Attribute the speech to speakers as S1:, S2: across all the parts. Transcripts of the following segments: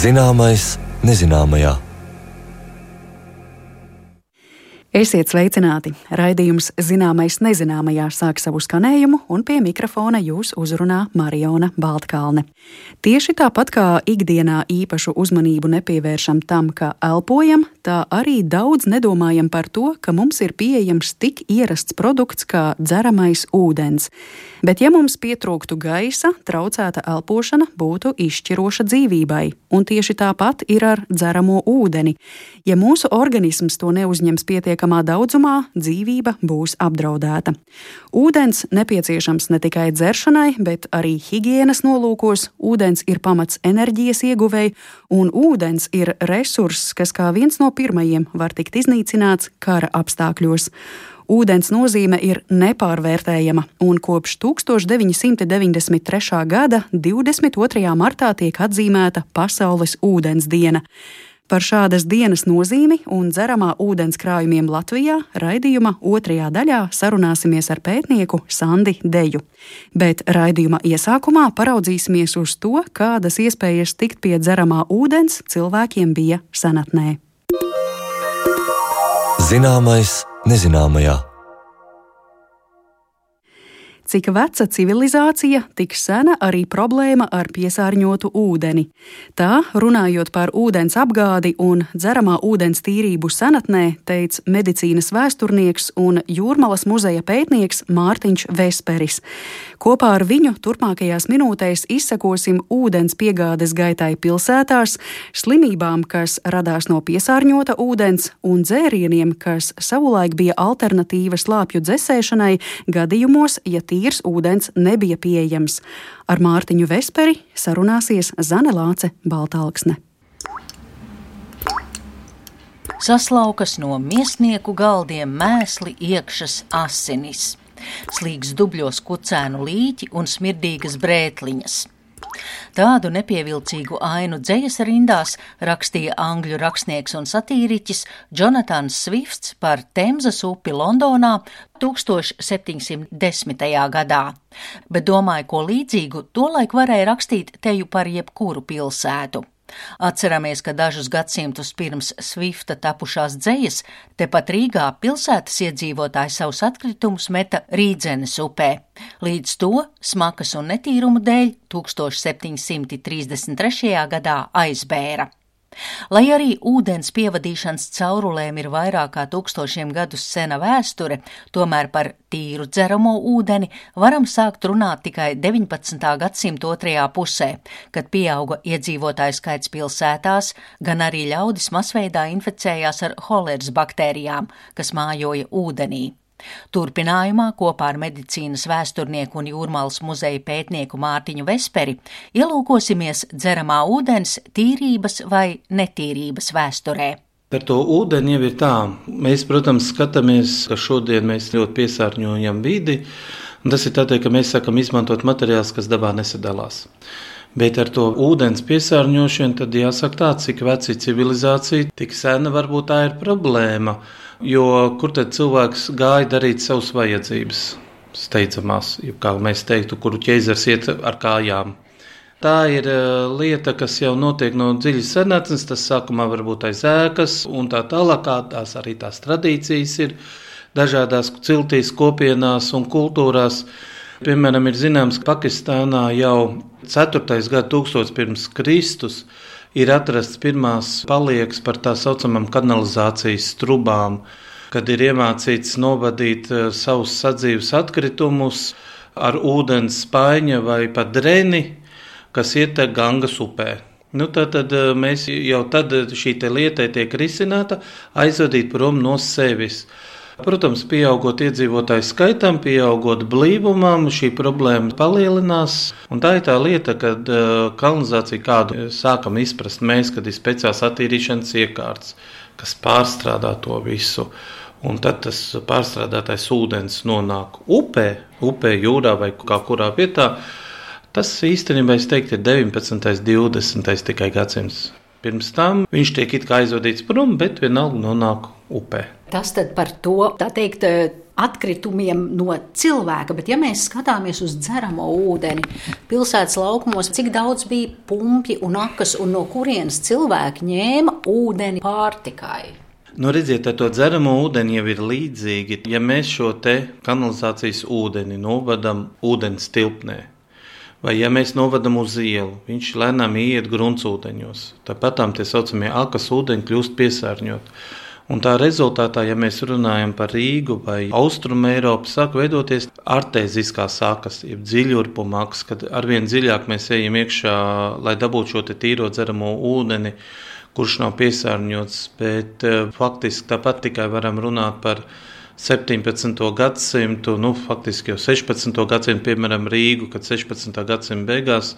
S1: Zināmais nezināmajā.
S2: Esiet sveicināti! Raidījums Zināmais nezināmajā sāk savu skanējumu, un pie mikrofona jūs uzrunā Mariona Baltkalne. Tieši tāpat kā ikdienā īpašu uzmanību nepievēršam tam, ka elpojam, tā arī daudz nedomājam par to, ka mums ir pieejams tik ierasts produkts kā dzeramais ūdens. Bet ja mums pietrūktu gaisa, traucēta elpošana būtu izšķiroša dzīvībai, un tieši tāpat ir ar dzeramo ūdeni. Ja mūsu organisms to neuzņems pietiekamā daudzumā, dzīvība būs apdraudēta. Ūdens nepieciešams ne tikai dzeršanai, bet arī higienas nolūkos. Ūdens ir pamats enerģijas ieguvei, un ūdens ir resurss, kas kā viens no pirmajiem var tikt iznīcināts kara apstākļos. Ūdens nozīme ir nepārvērtējama, un kopš 1993. gada 22. martā tiek atzīmēta Pasaules ūdens diena. Par šādas dienas nozīmi un dzeramā ūdens krājumiem Latvijā raidījuma otrajā daļā sarunāsimies ar pētnieku Sandi Deju. Bet raidījuma iesākumā paraudzīsimies uz to, kādas iespējas tikt pie dzeramā ūdens cilvēkiem bija senatnē.
S1: Zināmais nezināmajā.
S2: Cik veca civilizācija, tik sena arī problēma ar piesārņotu ūdeni. Tā, runājot par ūdens apgādi un dzeramā ūdens tīrību senatnē, teica medicīnas vēsturnieks un Jūrmalas muzeja pētnieks Mārtiņš Vesperis. Kopā ar viņu turpmākajās minūtēs izsekosim ūdens piegādes gaitai pilsētās, slimībām, kas radās no piesārņota ūdens, un dzērieniem, kas savulaik bija alternatīva slāpju dzesēšanai gadījumos, ja tīrs ūdens nebija pieejams. Ar Mārtiņu Vesperi sarunāsies Zane Lāce Baltalksne.
S3: Saslaukas no miesnieku galdiem mēsli iekšas asinis. Slīgs dubļos kucēnu līķi un smirdīgas brētliņas. Tādu nepievilcīgu ainu dzejas rindās rakstīja angļu rakstnieks un satīriķis Jonatans Swifts par Temzas upi Londonā 1710. gadā, bet domāju, ko līdzīgu tolaik varēja rakstīt teju par jebkuru pilsētu. Atceramies, ka dažus gadsimtus pirms Swifta tapušās dzejas tepat Rīgā pilsētas iedzīvotāji savus atkritumus meta Rīdzenes upē. Līdz to smakas un netīrumu dēļ 1733. gadā aizbēra. Lai arī ūdens pievadīšanas caurulēm ir vairāk kā 1000 gadus sena vēsture, tomēr par tīru dzeramo ūdeni varam sākt runāt tikai 19. gadsimta otrajā pusē, kad pieauga iedzīvotāju skaits pilsētās, gan arī ļaudis masveidā inficējās ar holeras baktērijām, kas mājoja ūdenī. Turpinājumā kopā ar medicīnas vēsturnieku un Jūrmalas muzeja pētnieku Mārtiņu Vesperi ielūkosimies dzeramā ūdens tīrības vai netīrības vēsturē.
S4: Par to ūdeni jau ir tā. Mēs, protams, skatāmies, ka šodien mēs ļoti piesārņojam vidi, un tas ir tādēļ, ka mēs sākam izmantot materiālus, kas dabā nesadalās. Bet ar to ūdens piesārņošanu tad jāsaka tā, cik veci civilizācija, tik sena varbūt tā ir problēma. Jo kur tad cilvēks gāja darīt savas vajadzības steidzamās, kā mēs teiktu, kuru ķeizars iet ar kājām. Tā ir lieta, kas jau notiek no dziļas senatnes, tas sākumā varbūt aiz ēkas un tā tālāk, tās arī tās tradīcijas ir dažādās ciltīs, kopienās un kultūrās. Piemēram, ir zināms, ka Pakistānā jau 4. gadsimts pirms Kristus ir atrasts pirmās paliekas par tā saucamām kanalizācijas trubām, kad ir iemācīts novadīt savus sadzīves atkritumus ar ūdens spaiņa vai pat dreni, kas ietek Gangas upē. Tad mēs jau tad šī lieta tiek risināta, aizvadīt prom no sevis. Protams, pieaugot iedzīvotāju skaitam, pieaugot blīvumam, šī problēma palielinās. Un tā ir tā lieta, kad kanalizācija kādu sākam izprast mēs, kad ir speciāls attīrīšanas iekārts, kas pārstrādā to visu. Un tad tas pārstrādātais ūdens nonāk upē, jūrā vai kā kurā vietā. Tas īstenībā, es teiktu, ir 19. 20. tikai gadsimts. Pirms tam viņš tiek it kā aizvadīts prom, bet vienalga nonāk upē.
S5: Tas tad par to, tā teikt, atkritumiem no cilvēka, bet ja mēs skatāmies uz dzeramo ūdeni, pilsētas laukumos, cik daudz bija pumpļi un akas un no kurienes cilvēki ņēma ūdeni pārtikai?
S4: Redziet, ar to dzeramo ūdeni jau ir līdzīgi. Ja mēs šo te kanalizācijas ūdeni novadam ūdens tilpnē, vai ja mēs novadam uz ielu, viņš lēnām iet gruntsūdeņos, tāpatām tie saucamie akas ūdeņi kļūst piesārņot. Un tā rezultātā, ja mēs runājam par Rīgu vai Austrumu Eiropu, sāk veidoties artēziskās akas, jeb dziļurpuma akas, kad arvien dziļāk mēs ejam iekšā, lai dabūtu šo te tīro dzeramo ūdeni, kurš nav piesārņots, bet faktiski tāpat tikai varam runāt par 17. gadsimtu, faktiski jau 16. gadsimtu, piemēram, Rīgu, kad 16. gadsimta beigās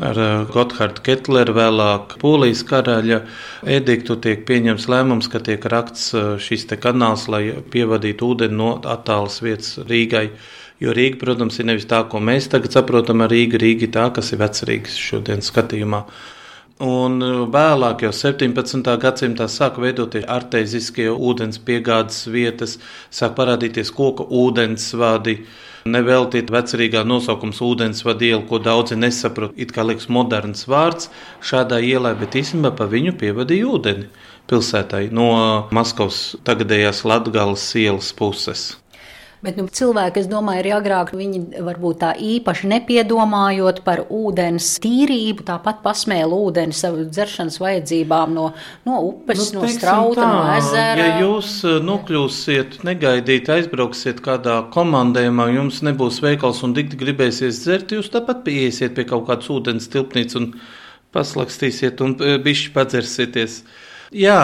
S4: ar Gotthārdu Kettleru vēlāk Polijas karaļa ediktu tiek pieņemts lēmums, ka tiek rakts šis te kanāls, lai pievadītu ūdeni no attālas vietas Rīgai. Jo Rīga, protams, ir nevis tā, ko mēs tagad saprotam ar Rīgu, Rīga ir tā, kas ir Vecrīgas šodien skatījumā. Un vēlāk jau 17. gadsimtā sāk veidoties artēziskie ūdens piegādes vietas, sāk parādīties koka ūdensvadi, neveltīt Vecrīgā nosaukums ūdensvadu iela, ko daudzi nesaprot, it kā liekas moderns vārds šādā ielai, bet īstenībā pa viņu pievadīja ūdeni pilsētai no Maskavas tagadējās Latgales ielas puses.
S5: Bet cilvēki, es domāju, arī agrāk viņi varbūt tā īpaši nepiedomājot par ūdens tīrību, tāpat pasmēla ūdeni savu dzeršanas vajadzībām no upes, no strauta, no ezera.
S4: Ja jūs nokļūsiet, negaidīt, aizbrauksiet kādā komandējumā, jums nebūs veikals un dikti gribēsies dzert, jūs tāpat pieiesiet pie kaut kādas ūdens tilpnītes un paslakstīsiet un bišķi padzersieties. Jā,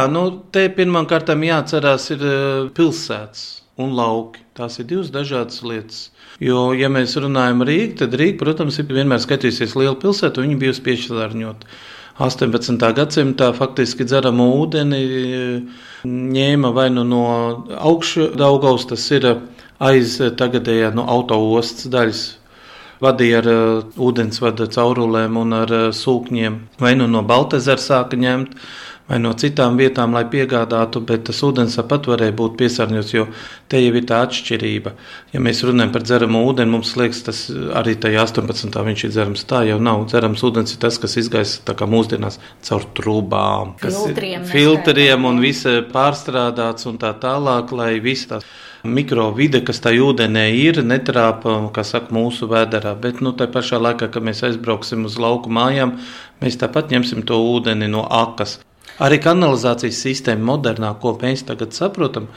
S4: te pirmām kārtām jāatcerās ir pilsētas un lauki. Tās ir divas dažādas lietas. Jo, ja mēs runājam Rīgu, tad Rīga, protams, ir vienmēr skatījusies liela pilsēta, un viņa bijusi piesārņota. 18. gadsimtā faktiski dzeramo ūdeni ņēma vai no augšu Daugavas, tas ir aiz tagadējā autoostas daļas, vadīja ar ūdensvada caurulēm un ar sūkņiem, vai no Baltezera sāka ņemt, vai no citām vietām, lai piegādātu, bet tas ūdens tāpat varēja būt piesārņots, jo te jau ir tā atšķirība. Ja mēs runājam par dzeramo ūdeni, mums liekas, tas arī tajā 18. viņš ir dzerams. Tā jau nav. Dzerams ūdens ir tas, kas izgaisa tā kā mūsdienās caur trubām, filtriem un visa pārstrādāts un tā tālāk, lai visa tās mikrovide, kas tā ūdenē ir, netrāpa, kā saka, mūsu vēderā. Bet tā pašā laikā, kad mēs aizbrauksim uz lauku mājām, mēs tāpat ņemsim to ūdeni no akas. Arī kanalizācijas sistēma modernā, ko mēs tagad saprotam,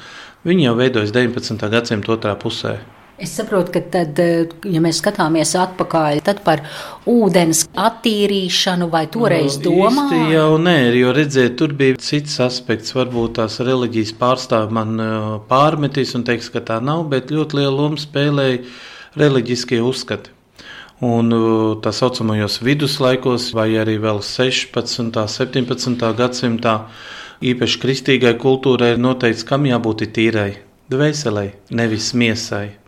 S4: viņi jau veidojas 19. gadsimta otrā pusē.
S5: Es saprotu, ka tad, ja mēs skatāmies atpakaļ, tad par ūdens attīrīšanu vai toreiz domā?
S4: Īsti jau nē, jo redziet, tur bija cits aspekts, varbūt tās reliģijas pārstāvi man pārmetīs un teiks, ka tā nav, bet ļoti lielu lomu spēlēja reliģiskie uzskati. Un tā saucamajos viduslaikos vai arī vēl 16. 17. gadsimtā īpaši kristīgai kultūrai ir noteikts, kam jābūt tīrai dvēselei, nevis miesai.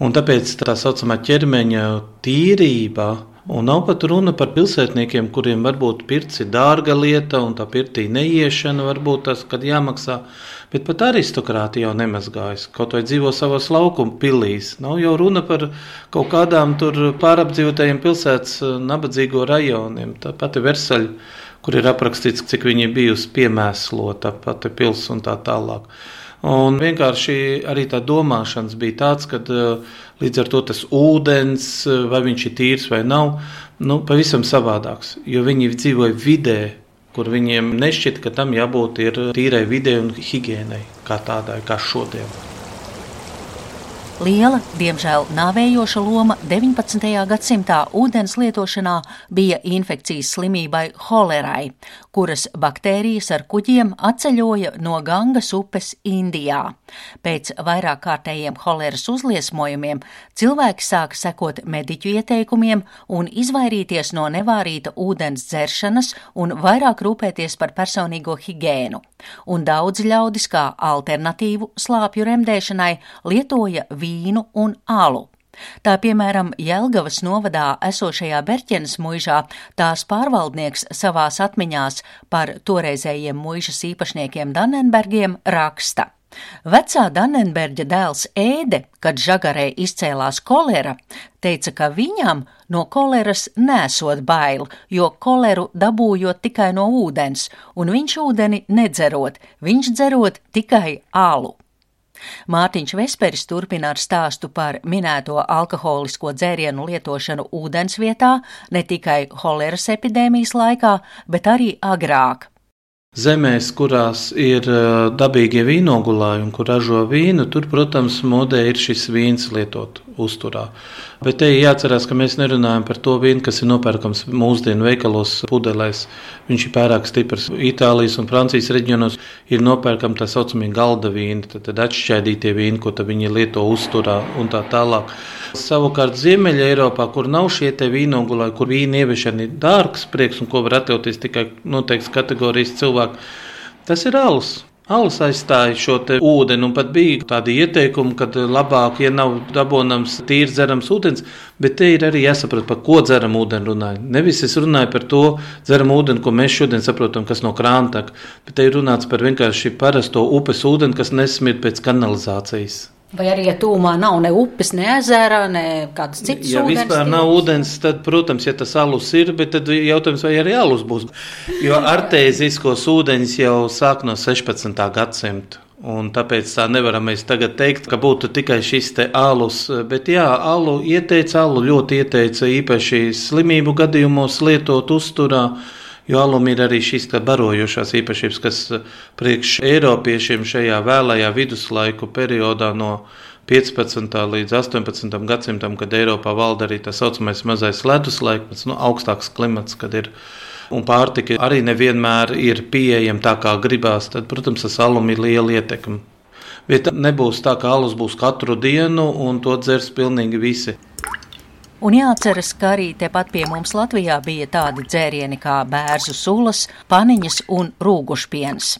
S4: Un tāpēc tā saucamā ķermeņa tīrība, un nav pat runa par pilsētniekiem, kuriem varbūt pirts ir dārga lieta un tā pirtī neiešana varbūt tas, kad jāmaksā, bet pat aristokrāti jau nemazgājas, kaut vai dzīvo savos laukumu pilīs. Nav jau runa par kaut kādām tur pārapdzīvotajiem pilsētas nabadzīgo rajoniem. Tā pati Versaļa, kur ir aprakstīts, cik viņi bijusi piemēslota, pati pils un tā tālāk. Un vienkārši arī tā domāšanas bija tāds, ka līdz ar to tas ūdens, vai viņš ir tīrs vai nav, pavisam savādāks, jo viņi dzīvoja vidē, kur viņiem nešķita, ka tam jābūt ir tīrai vidē un higiēnai, kā tādai, kā šodien.
S3: Liela, diemžēl nāvējoša loma 19. gadsimtā ūdens lietošanā bija infekcijas slimībai holerai, kuras baktērijas ar kuģiem atceļoja no Gangas upes Indijā. Pēc vairāk kārtējiem holeras uzliesmojumiem cilvēki sāka sekot mediķu ieteikumiem un izvairīties no nevārīta ūdens dzeršanas un vairāk rūpēties par personīgo higēnu. Un daudz ļaudis kā alternatīvu slāpju remdēšanai lietoja vīnu un alu. Tā piemēram Jelgavas novadā esošajā Berķenes muižā tās pārvaldnieks savās atmiņās par toreizējiem muižas īpašniekiem Dannenbergiem raksta. Vecā Dannenberģa dēls Ēde, kad Žagarē izcēlās kolera, teica, ka viņam no koleras nesot bail, jo koleru dabūjot tikai no ūdens, un viņš ūdeni nedzerot, viņš dzerot tikai alu. Mārtiņš Vesperis turpina ar stāstu par minēto alkoholisko dzērienu lietošanu ūdens vietā ne tikai holeras epidēmijas laikā, bet arī agrāk.
S4: Zemēs, kurās ir dabīgie vīnogulājumi, kur ražo vīnu, tur, protams, modē ir šis vīns lietot uzturā. Bet te jāatcerās, ka mēs nerunājam par to vīnu, kas ir nopērkams mūsdienu veikalos pudelēs. Viņš ir pārāk stiprs. Itālijas un Francijas reģionos ir nopērkami tā saucamie galda vīni, tad atšķaidītie vīni, ko viņi lieto uzturā un tā tālāk. Savukārt Ziemeļa Eiropā, kur nav šie te vīnogulāji, kur vīna ieviešana ir dārgs prieks un ko var atļauties tikai noteikts kategorijas cilvēki, tas ir alus. Alus aizstāja šo te ūdeni, un pat bija tādi ieteikumi, ka labāk, ja nav dabonams tīrs dzerams ūdens, bet te ir arī jāsaprot, par ko dzeram ūdeni runāju. Nevis es runāju par to dzeram ūdeni, ko mēs šodien saprotam, kas no krāna tek, bet te ir runāts par vienkārši parasto upes ūdeni, kas nesmird pēc kanalizācijas.
S5: Vai arī, ja tūmā nav ne upes, ne ezera, ne kāds cits ūdens?
S4: Ja vispār nav ūdens, tad, protams, ja tas alus ir, bet tad jautājums, vai arī alus būs. Jo artēziskos ūdeņus jau sāk no 16. gadsimta. Un tāpēc tā nevaram mēs tagad teikt, ka būtu tikai šis te alus. Bet jā, alu ļoti ieteica īpaši slimību gadījumos lietot uzturā. Jo alum ir arī šīs barojošās īpašības, kas priekš Eiropiešiem šajā vēlajā viduslaiku periodā no 15. līdz 18. gadsimtam, kad Eiropā valda arī tā saucamais mazais leduslaikmets, augstāks klimats, kad ir, un pārtika arī nevienmēr ir pieejama tā, kā gribās, tad, protams, tas alum ir liela ietekme. Bet nebūs tā, ka alus būs katru dienu, un to dzers pilnīgi visi.
S3: Un jāatceras, ka arī tepat pie mums Latvijā bija tādi dzērieni kā bērzu sulas, paniņas un rūgušpiens.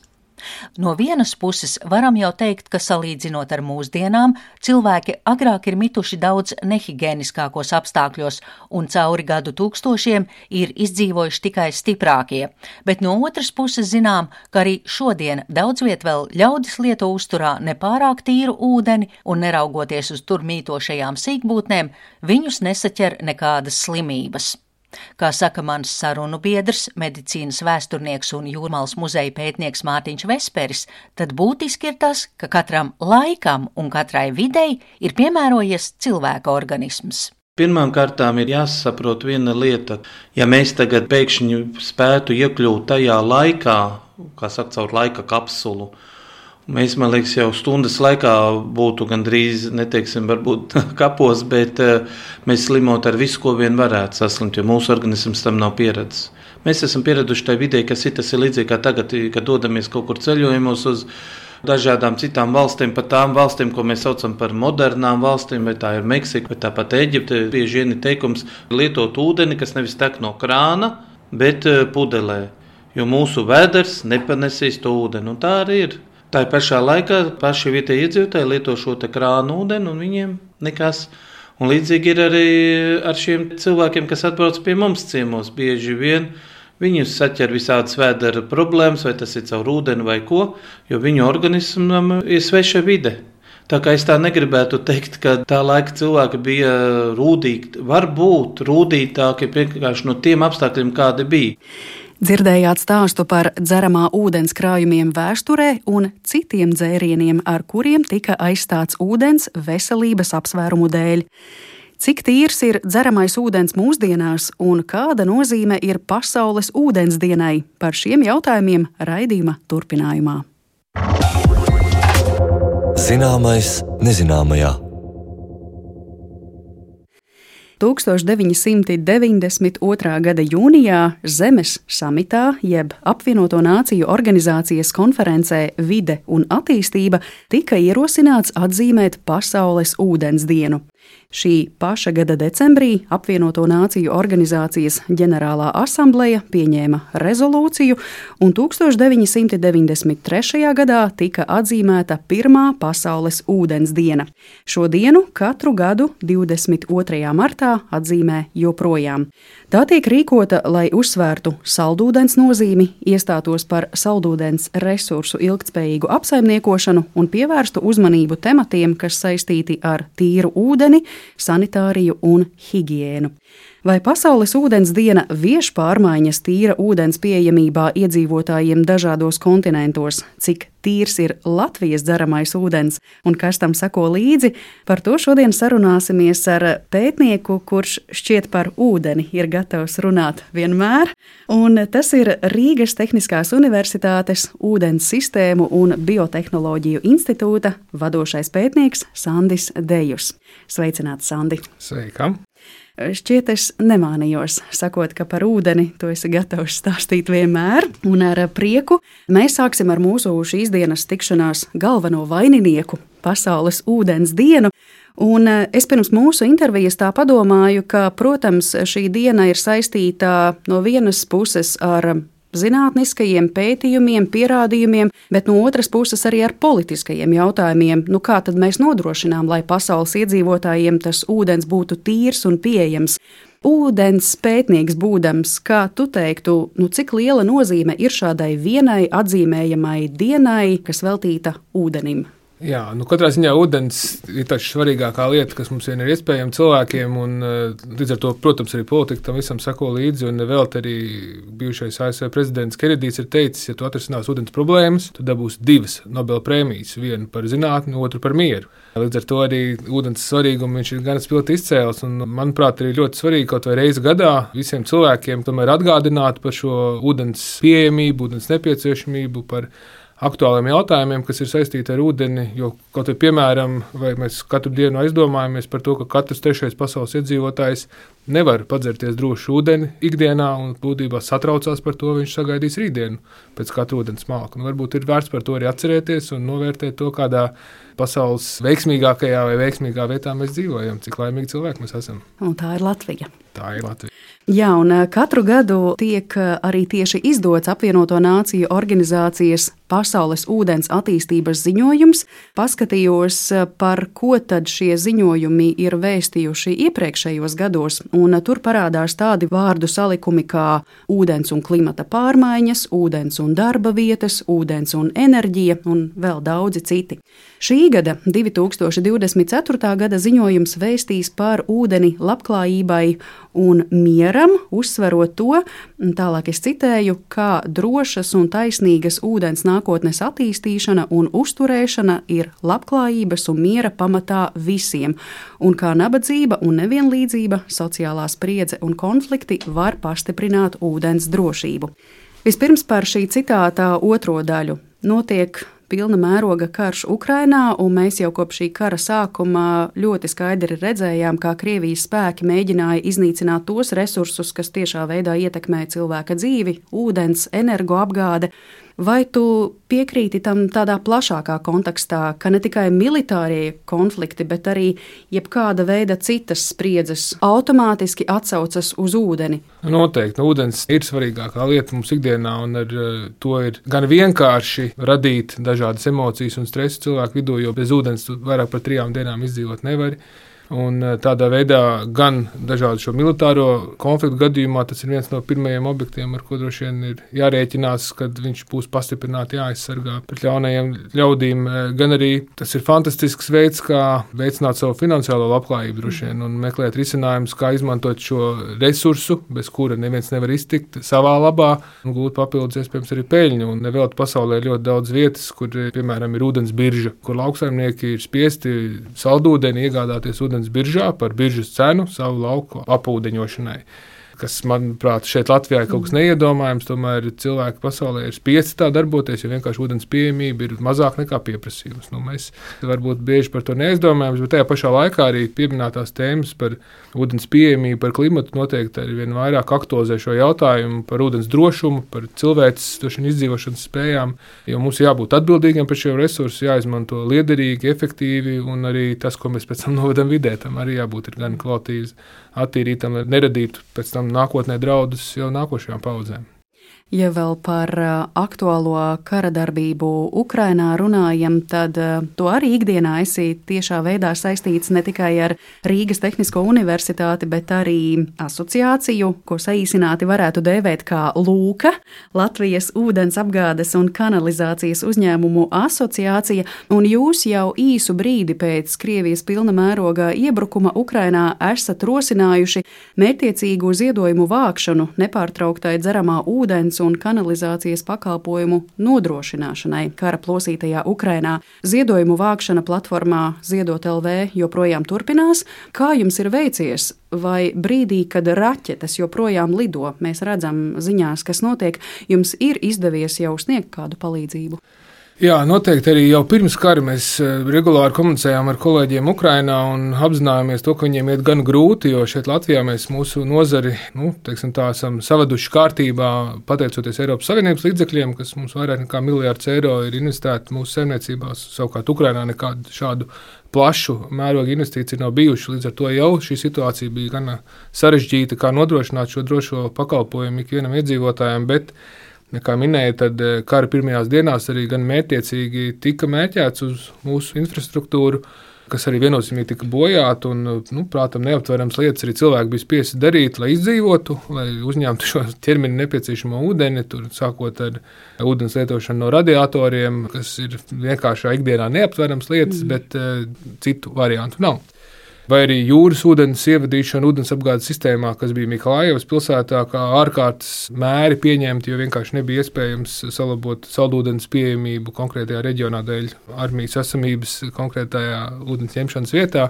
S3: No vienas puses varam jau teikt, ka salīdzinot ar mūsdienām, cilvēki agrāk ir mituši daudz nehigiēniskākos apstākļos un cauri gadu tūkstošiem ir izdzīvojuši tikai stiprākie, bet no otras puses zinām, ka arī šodien daudz viet vēl ļaudis lieto uzturā nepārāk tīru ūdeni un neraugoties uz tur mītošajām sīkbūtnēm, viņus nesaķer nekādas slimības. Kā saka mans sarunu biedrs, medicīnas vēsturnieks un Jūrmalas muzeja pētnieks Mārtiņš Vesperis, tad būtiski ir tas, ka katram laikam un katrai videi ir piemērojies cilvēka organisms.
S4: Pirmām kārtām ir jāsaprot viena lieta. Ja mēs tagad pēkšņi spētu iekļūt tajā laikā, kā saka, caur laika kapsulu, mēs, man liekas, jau stundas laikā būtu gandrīz, neteiksim, varbūt kapos, bet mēs slimot ar visu, ko vien varētu saslimt, jo mūsu organisms tam nav pieredzes. Mēs esam pieraduši tai vidē, kas ir, tas ir līdzīgi kā tagad, kad dodamies kaut kur ceļojumos uz dažādām citām valstīm, pat tām valstīm, ko mēs saucam par modernām valstīm, vai tā ir Meksika, vai tāpat Eģipte, bieži vien ir teikums lietot ūdeni, kas nevis tek no krāna, bet pudelē, jo mūsu vēders nepanesīs to ūdeni, un tā arī ir. Tā pašā laikā paši vietēji iedzīvotāji lieto šo te krānu ūdeni, un viņiem nekas. Un līdzīgi ir arī ar šiem cilvēkiem, kas atbrauc pie mums ciemos. Bieži vien viņus saķer visādas vēdera problēmas, vai tas ir caur ūdeni vai ko, jo viņu organismam ir sveša vide. Tā kā es tā negribētu teikt, ka tā laika cilvēki bija rūdīgi, varbūt rūdītāki vienkārši no tiem apstākļiem, kādi bija.
S2: Dzirdējāt stāstu par dzeramā ūdens krājumiem vēsturē un citiem dzērieniem, ar kuriem tika aizstāts ūdens veselības apsvērumu dēļ. Cik tīrs ir dzeramais ūdens mūsdienās un kāda nozīme ir pasaules ūdens dienai? Par šiem jautājumiem raidījuma turpinājumā.
S1: Zināmais nezināmajā.
S2: 1992. gada jūnijā Zemes samitā, jeb Apvienoto Nāciju organizācijas konferencē Vide un attīstība, tika ierosināts atzīmēt Pasaules ūdens dienu. Šī paša gada decembrī Apvienoto Nāciju organizācijas ģenerālā asambleja pieņēma rezolūciju, un 1993. gadā tika atzīmēta pirmā pasaules ūdens diena. Šo dienu katru gadu 22. martā atzīmē joprojām. Tā tiek rīkota, lai uzsvērtu saldūdens nozīmi, iestātos par saldūdens resursu ilgtspējīgu apsaimniekošanu un pievērstu uzmanību tematiem, kas saistīti ar tīru ūdeni, sanitāriju un higiēnu. Vai pasaules ūdens diena vieš pārmaiņas tīra ūdens pieejamībā iedzīvotājiem dažādos kontinentos? Cik tīrs ir Latvijas dzeramais ūdens un kas tam seko līdzi? Par to šodien sarunāsimies ar pētnieku, kurš šķiet par ūdeni ir gatavs runāt vienmēr. Un tas ir Rīgas Tehniskās Universitātes ūdens sistēmu un biotehnoloģiju institūta vadošais pētnieks Sandis Dejus. Sveicināts, Sandi!
S6: Sveika!
S2: Šķiet, es nemānījos, sakot, ka par ūdeni tu esi gatavs stāstīt vienmēr, un ar prieku mēs sāksim ar mūsu šīs dienas tikšanās galveno vaininieku, pasaules ūdens dienu. Un es pirms mūsu intervijas tā padomāju, ka, protams, šī diena ir saistīta no vienas puses ar zinātniskajiem pētījumiem, pierādījumiem, bet no otras puses arī ar politiskajiem jautājumiem. Kā tad mēs nodrošinām, lai pasaules iedzīvotājiem tas ūdens būtu tīrs un pieejams? Ūdens pētnieks būdams, kā tu teiktu, cik liela nozīme ir šādai vienai atzīmējamai dienai, kas veltīta ūdenim?
S6: Jā, katrā ziņā ūdens ir tā svarīgākā lieta, kas mums ir iespējama cilvēkiem, un līdz ar to, protams, arī politika tam visam sako līdzi, un vēl arī bijušais ASV prezidents Kenedijs ir teicis, ja tu atrisinās ūdens problēmas, tu dabūsi 2 Nobela prēmijas, vienu par zinātni, otru par mieru. Līdz ar to arī ūdens svarīgumu viņš ir gan spilgti izcēlis, un manuprāt, arī ļoti svarīgi kaut vai reizi gadā visiem cilvēkiem tomēr atgādināt par šo ūdens pieejamību, ūdens nepieciešamību, par aktuāliem jautājumiem, kas ir saistīti ar ūdeni, jo kaut vai piemēram, vai mēs katru dienu aizdomājamies par to, ka katrs 3. pasaules iedzīvotājs nevar padzerties drošu ūdeni ikdienā un būtībā satraucās par to, viņš sagaidīs rītdienu pēc katra ūdens malka. Varbūt ir vērts par to arī atcerēties un novērtēt to, kādā pasaules veiksmīgākajā vai veiksmīgā vietā mēs dzīvojam, cik laimīgi cilvēki mēs esam.
S2: Un tā ir Latvija.
S6: Tā ir Latvija.
S2: Jā, un katru gadu tiek arī tieši izdots Apvienoto Nāciju organizācijas pasaules ūdens attīstības ziņojums. Paskatījos, par ko tad šie ziņojumi ir vēstījuši iepriekšējos gados, un tur parādās tādi vārdu salikumi kā ūdens un klimata pārmaiņas, ūdens un darba vietas, ūdens un enerģija un vēl daudzi citi. Šī gada 2024. gada ziņojums vēstīs par ūdeni labklājībai un mieram, uzsverot to, tālāk es citēju, kā drošas un taisnīgas ūdens nākotnes attīstīšana un uzturēšana ir labklājības un miera pamatā visiem, un kā nabadzība un nevienlīdzība, sociālā spriedze un konflikti var pastiprināt ūdens drošību. Vispirms par šī citātā otro daļu. Notiek pilna mēroga karš Ukrainā, un mēs jau kopš šī kara sākuma ļoti skaidri redzējām, kā Krievijas spēki mēģināja iznīcināt tos resursus, kas tiešā veidā ietekmē cilvēka dzīvi, ūdens, energoapgāde. Vai tu piekrīti tam tādā plašākā kontekstā, ka ne tikai militārie konflikti, bet arī jebkāda veida citas spriedzes automātiski atsaucas uz ūdeni?
S6: Noteikti. Ūdens ir svarīgākā lieta mums ikdienā, un ar to ir gan vienkārši radīt dažādas emocijas un stresu cilvēku vidū, jo bez ūdens vairāk par 3 dienām izdzīvot nevar. Un tādā veidā gan dažādu šo militāro konfliktu gadījumā tas ir viens no pirmajiem objektiem, ar ko droši vien ir jārēķinās, kad viņš būs pastiprināti jāaizsargā pret ļaunajiem ļaudīm. Gan arī tas ir fantastisks veids, kā veicināt savu finansiālo labklājību droši vien un meklēt risinājumus, kā izmantot šo resursu, bez kura neviens nevar iztikt savā labā un gūt papildus iespējams arī peļņu. Un nevēlti pasaulē ir ļoti daudz vietas, kur, piemēram, ir ūdens birža, kur lauksaimnieki ir spiesti saldūdeni iegādāties ūdens biržā par biržas cenu savu lauku apūdeņošanai. kas, manuprāt, šeit Latvijā ir kaut kas neiedomājams. Tomēr cilvēki pasaulē ir spiesti tā darboties, jo vienkārši ūdens pieejamība ir mazāk nekā pieprasījums. Mēs varbūt bieži par to neaizdomājamies, bet tajā pašā laikā arī pieminētās tēmas par ūdens pieejamību, par klimatu noteikti arī vien vairāk aktualizē šo jautājumu par ūdens drošumu, par cilvēces izdzīvošanas spējām, jo mums jābūt atbildīgiem par šiem resursiem, jāizmanto liederīgi, efektīvi, un arī tas, ko mēs pēc tam novedam vidē, tam arī jābūt gan kvalitīvs, attīrītam, lai neradītu pēc tam nākotnē draudus jau nākošajām paudzēm.
S2: Ja vēl par aktuālo kara darbību Ukrainā runājam, tad to arī ikdienā esi tiešā veidā saistīts ne tikai ar Rīgas Tehnisko universitāti, bet arī asociāciju, ko saīsināti varētu dēvēt kā Lūka, Latvijas ūdens apgādes un kanalizācijas uzņēmumu asociācija, un jūs jau īsu brīdi pēc Krievijas pilna mērogā iebrukuma Ukrainā esat rosinājuši mērķtiecīgu ziedojumu vākšanu nepārtrauktai dzeramā ūdens un kanalizācijas pakalpojumu nodrošināšanai kara plosītajā Ukrainā. Ziedojumu vākšana platformā Ziedot LV joprojām turpinās. Kā jums ir veicies? Vai brīdī, kad raķetes joprojām lido, mēs redzam ziņās, kas notiek, jums ir izdevies jau sniegt kādu palīdzību?
S6: Jā, noteikti arī jau pirms kara mēs regulāri komunicējām ar kolēģiem Ukrainā un apzinājāmies to, ka viņiem iet gan grūti, jo šeit Latvijā mēs mūsu nozari, esam savaduši kārtībā, pateicoties Eiropas Savienības līdzekļiem, kas mums vairāk nekā miljards eiro ir investēti mūsu saimniecībās. Savukārt Ukrainā nekādu šādu plašu mērogu investīciju nav bijuši, līdz ar to jau šī situācija bija gan sarežģīta, kā nodrošināt šo drošo pakalpojumu ikvienam iedzīvotājiem, bet kā minēja, tad kara pirmajās dienās arī gan mērķtiecīgi tika mērķēts uz mūsu infrastruktūru, kas arī viennozīmīgi tika bojāta un, prātam, neaptverams lietas arī cilvēki bija spiesti darīt, lai izdzīvotu, lai uzņemtu šo ķermeni nepieciešamo ūdeni, sākot ar ūdens lietošanu no radiatoriem, kas ir vienkāršā ikdienā neaptverams lietas, bet citu variantu nav. Vai arī jūras ūdens ievadīšana ūdens apgādes sistēmā, kas bija Mikolājevas pilsētā, kā ārkārtas mēri pieņemti, jo vienkārši nebija iespējams salabot saldūdens pieejamību konkrētajā reģionā dēļ armijas esamības konkrētajā ūdens ņemšanas vietā.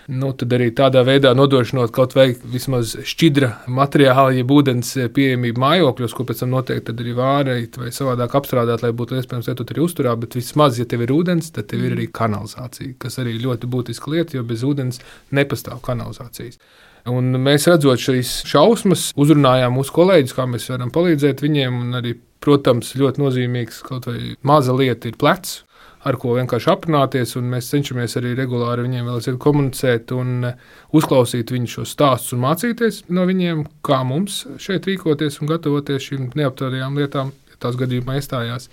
S6: Tad arī tādā veidā nodrošinot kaut vai vismaz šķidra materiāla, jeb ūdens pieejamību mājokļos, ko pēc tam noteikti arī vārīt vai savādāk apstrādāt, lai būtu iespējams lietot arī uzturā, bet vismaz, ja tev ir ūdens, tad tev ir arī kanalizācija, kas arī ļoti būtiska lieta, jo bez ūdens nepastāv kanalizācijas. Un mēs redzot šīs šausmas, uzrunājām mūsu kolēģus, kā mēs varam palīdzēt viņiem, un arī, protams, ļoti nozīmīgs kaut vai maza lieta ir plecs, ar ko vienkārši aprunāties, un mēs cenšamies arī regulāri viņiem vēl komunicēt un uzklausīt viņu šos stāstus un mācīties no viņiem, kā mums šeit rīkoties un gatavoties šīm neaptvertajām lietām, ja tās gadījumā iestājās.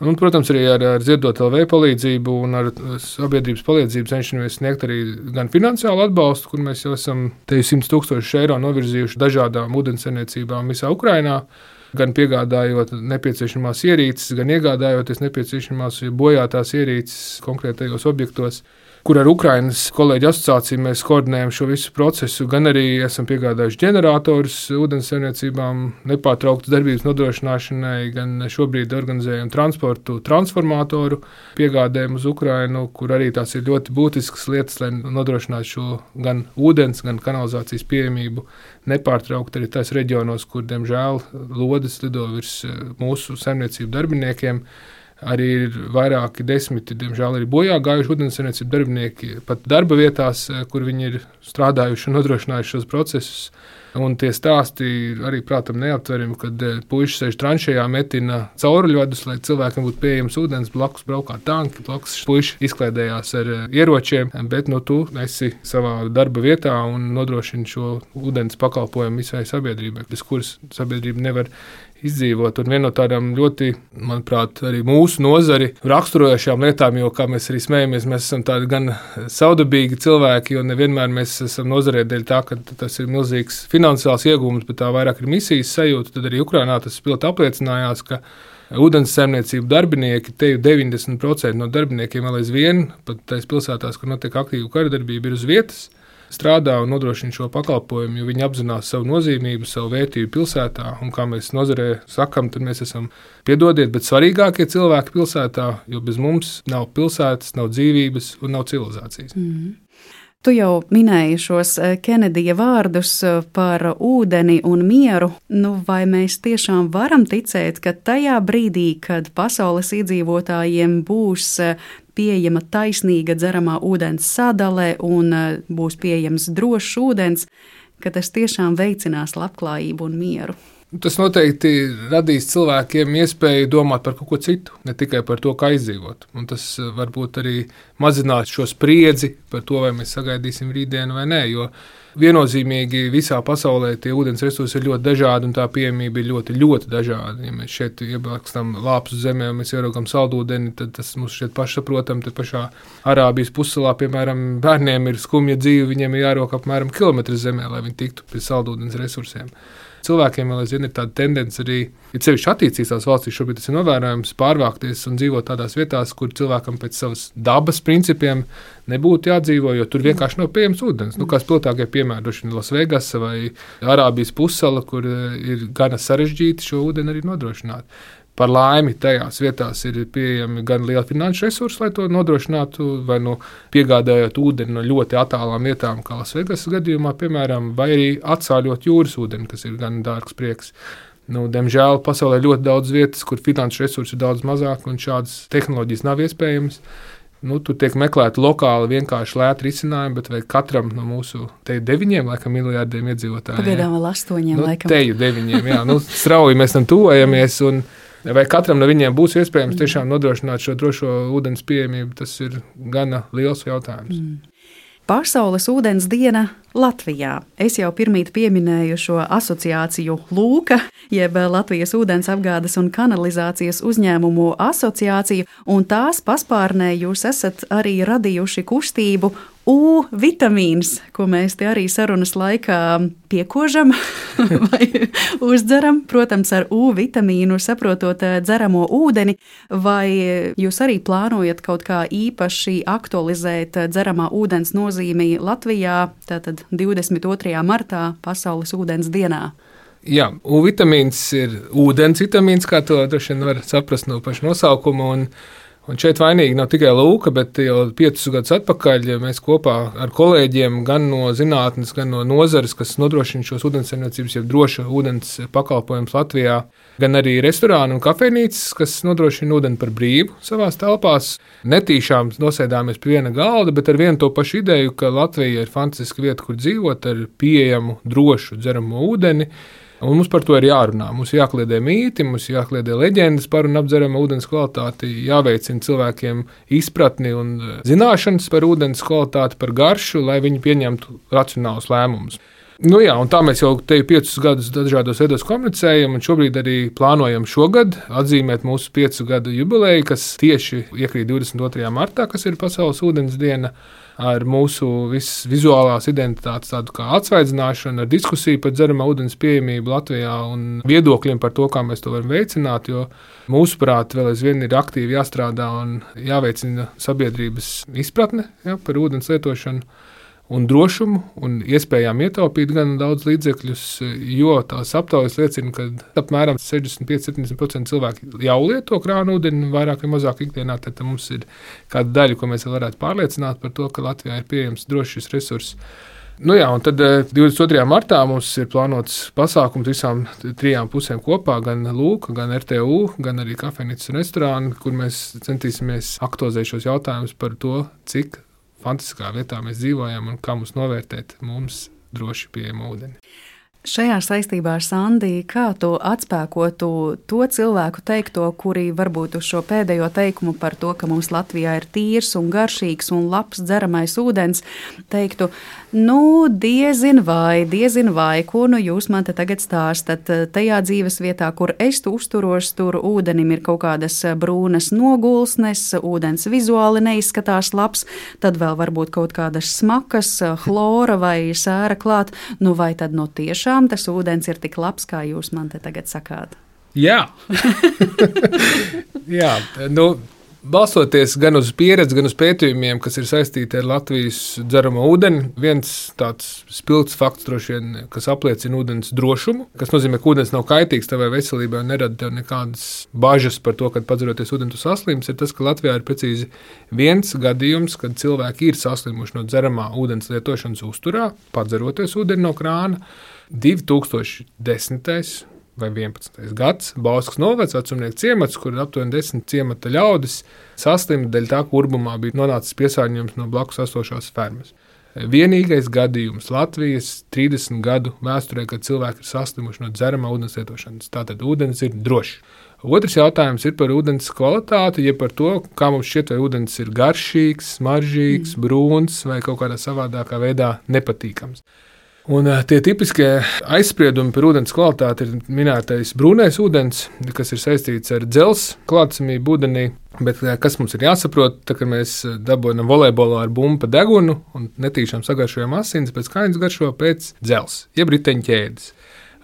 S6: Un, protams, arī ar Ziedot LV palīdzību un ar sabiedrības palīdzību cenšamies sniegt arī gan finansiālu atbalstu, kur mēs jau esam 100 000 eiro novirzījuši dažādām ūdenssaimniecībām visā Ukrainā, gan piegādājot nepieciešamās ierīces, gan iegādājoties nepieciešamās bojātās ierīces konkrētajos objektos, kur ar Ukrainas kolēģu asociāciju mēs koordinējam šo visu procesu, gan arī esam piegādājuši ģeneratorus ūdenssaimniecībām nepārtrauktas darbības nodrošināšanai, gan šobrīd organizējam transportu transformatoru piegādējumu uz Ukrainu, kur arī tās ir ļoti būtiskas lietas, lai nodrošinātu šo gan ūdens, gan kanalizācijas pieejamību nepārtraukt arī tais reģionos, kur, diemžēl, lodes lido virs mūsu saimniecību darbiniekiem. Arī ir vairāki desmiti, diemžēl, arī bojā gājuši ūdenssaimniecību darbinieki pat darba vietās, kur viņi ir strādājuši un nodrošinājuši šos procesus. Un tie stāsti arī, prātam, neaptverami, kad puiši sēž tranšējā, metina cauruļvadus, lai cilvēkiem būtu pieejams ūdens, blakus braukā tanki, blakus puiši izklaidējās ar ieročiem, bet tu esi savā darba vietā un nodrošini šo ūdens pakalpojumu visai sabiedrībai, bez kuras sabiedrība nevar izdzīvot. Un viena no tādām ļoti, manuprāt, arī mūsu nozari raksturojošām lietām, jo, kā mēs arī smējamies, mēs esam tādi gan saudabīgi cilvēki, jo nevienmēr mēs esam nozarē dēļ tā, ka tas ir milzīgs finansiāls iegūms, bet tā vairāk ir misijas sajūta. Tad arī Ukrainā tas pilti apliecinājās, ka ūdenssaimniecību darbinieki, te jau 90% no darbiniekiem vēl aizvien, pat tais pilsētās, kur notiek aktīva karadarbība, ir uz vietas, strādā un nodrošina šo pakalpojumu, jo viņi apzinās savu nozīmību, savu vērtību pilsētā. Un kā mēs nozarē sakam, tad mēs esam, piedodiet, bet svarīgākie cilvēki pilsētā, jo bez mums nav pilsētas, nav dzīvības un nav civilizācijas.
S2: Tu jau minēji šos Kenedija vārdus par ūdeni un mieru. Vai mēs tiešām varam ticēt, ka tajā brīdī, kad pasaules iedzīvotājiem būs pieejama taisnīga dzeramā ūdens sadale un būs pieejams drošs ūdens, ka tas tiešām veicinās labklājību un mieru?
S6: Tas noteikti radīs cilvēkiem iespēju domāt par kaut ko citu, ne tikai par to, kā izdzīvot. Un tas varbūt arī mazinās šo spriedzi par to, vai mēs sagaidīsim rītdienu vai nē, jo viennozīmīgi visā pasaulē tie ūdens resursi ir ļoti dažādi un tā pieejamība ir ļoti, ļoti dažāda. Ja mēs šeit iebakstam lāpstu zemē un mēs ieraugam saldūdeni, tad tas mums šķiet pašsaprotam. Te pašā Arābijas pussalā, piemēram, bērniem ir skumja dzīve, viņiem ir jārok apmēram kilometru zemē, lai viņi tiktu pie saldūdens resursiem. Cilvēkiem vēl aizvien ir tāda tendence arī, ja sevišķi attīstītās valstīs šobrīd tas ir novērojams, pārvākties un dzīvot tādās vietās, kur cilvēkam pēc savas dabas principiem nebūtu jādzīvo, jo tur vienkārši nav pieejams ūdens. Kā spilgtākie piemēri, droši vien Lasvegasa vai Arābijas pussala, kur ir gana sarežģīti šo ūdeni arī nodrošināt. Par laimi tajās vietās ir pieejami gan lieli finanšu resursi, lai to nodrošinātu, vai piegādājot ūdeni no ļoti attālām vietām, kā Lasvegasas gadījumā, piemēram, vai arī atsāļot jūras ūdeni, kas ir gan dārgs prieks. Diemžēl pasaulē ir ļoti daudz vietas, kur finanšu resursi ir daudz mazāk un šādas tehnoloģijas nav iespējamas. Tur tiek meklēti lokāli vienkārši lēti risinājumi, bet vai katram no mūsu te 9 miljārdiem iedzīvotāju?
S2: Pagaidām vēl 8 laikam.
S6: Teju 9, jā. Strauji mēs tam tuvojamies un vai katram no viņiem būs iespējams tiešām nodrošināt šo drošo ūdens pieejamību, tas ir gana liels jautājums.
S2: Pasaules ūdens diena Latvijā. Es jau pirmīt pieminēju šo asociāciju Lūka, jeb Latvijas ūdens apgādes un kanalizācijas uzņēmumu asociāciju, un tās paspārnē jūs esat arī radījuši kustību U vitamīns, ko mēs te arī sarunas laikā piekožam vai uzdzeram, protams, ar U vitamīnu saprotot dzeramo ūdeni, vai jūs arī plānojat kaut kā īpaši aktualizēt dzeramā ūdens nozīmi Latvijā, tātad 22. martā Pasaules ūdens dienā?
S6: Jā, U vitamīns ir ūdens vitamīns, kā to droši vien var saprast no paša nosaukuma, un šeit vainīgi nav tikai Lūka, bet jau 5 gadus atpakaļ mēs kopā ar kolēģiem gan no zinātnes, gan no nozares, kas nodrošina šos ūdenssaimniecības, jeb droša ūdens pakalpojumus Latvijā, gan arī restorāni un kafejnīcas, kas nodrošina ūdeni par brīvu savās telpās. Netīšām nosēdāmies pie viena galda, bet ar vienu to pašu ideju, ka Latvija ir fantastiska vieta, kur dzīvot ar pieejamu, drošu dzeramo ūdeni. Un mums par to ir jārunā. Mums jākliedē mīti, mums jākliedē leģendas par un apdzerama ūdens kvalitāti, jāveicina cilvēkiem izpratni un zināšanas par ūdens kvalitāti, par garšu, lai viņi pieņemtu racionālus lēmumus. Un tā mēs jau te 5 gadus dažādos veidos komunicējam, un šobrīd arī plānojam šogad atzīmēt mūsu 5 gadu jubileju, kas tieši iekrīt 22. martā, kas ir Pasaules ūdens diena, ar mūsu vizuālās identitātes tādu kā atsvaidzināšanu, ar diskusiju par dzeramā ūdens pieejamību Latvijā un viedokļiem par to, kā mēs to varam veicināt, jo mūsuprāt vēl aizvien ir aktīvi jāstrādā un jāveicina sabiedrības izpratne par ūdens lietošanu un drošumu un iespējām ietaupīt gan daudz līdzekļus, jo tās aptaujas liecina, ka apmēram 65–70% cilvēki jau lieto krānu ūdeni vairāk vai mazāk ikdienā, tad mums ir kāda daļa, ko mēs varētu pārliecināt par to, ka Latvijā ir pieejams drošs šis resurss. Un tad 22. martā mums ir plānots pasākums visām 3 pusēm kopā, gan Lūka, gan RTU, gan arī kafejnīcas un restorāni, kur mēs centīsimies aktualizēt šos jautājumus par to, cik fantastiskā vietā mēs dzīvojam un kā mums novērtēt mums droši pieejamu ūdeni.
S2: Šajā saistībā, Sandi, kā tu atspēkotu to cilvēku teikto, kuri varbūt uz šo pēdējo teikumu par to, ka mums Latvijā ir tīrs un garšīgs un labs dzeramais ūdens, teiktu, diezin vai, ko jūs man te tagad stāstat? Tajā dzīves vietā, kur es uzturos, tur ūdenim ir kaut kādas brūnas nogulsnes, ūdens vizuāli neizskatās labs, tad vēl varbūt kaut kādas smakas, chlora vai sēra klāt, vai tad tiešām tas ūdens ir tik labs, kā jūs man te tagad sakāt?
S6: Jā. Jā, Balstoties gan uz pieredzi, gan uz pētījumiem, kas ir saistīti ar Latvijas dzeramo ūdeni, viens tāds spilgts fakts, droši vien, kas apliecina ūdens drošumu, kas nozīmē, ka ūdens nav kaitīgs tavai veselībai un nerada tev nekādas bažas par to, kad padzeroties ūdeni tu saslims, ir tas, ka Latvijā ir precīzi viens gadījums, kad cilvēki ir saslimuši no dzeramā ūdens lietošanas uzturā, padzeroties ūdeni no krāna, 2010. Vai 11. gads, Bauskas novads, vecumnieku ciemats, kur aptuveni 10 ciemata ļaudis saslima dēļ tā, ka urbumā bija nonācis piesārņojums no blakus esošās fermas. Vienīgais gadījums Latvijas 30 gadu vēsturē, kad cilvēki ir saslimuši no dzeramā ūdens lietošanas. Tātad ūdens ir drošs. Otrs jautājums ir par ūdens kvalitāti, ja par to, kā mums šķiet, vai ūdens ir garšīgs, smaržīgs, brūns vai kaut kādā savādākā veidā nepatīkams. Un tie tipiskie aizspriedumi par ūdens kvalitāti ir minētais brūnais ūdens, kas ir saistīts ar dzelzs klātsamību ūdenī. Bet kas mums ir jāsaprot, tad, kad mēs dabūjam volejbolā ar bumbu pa degunu un netīšām sagaršojam asins, pēc kājas garšo pēc dzelzs, jeb riteņu ķēdes.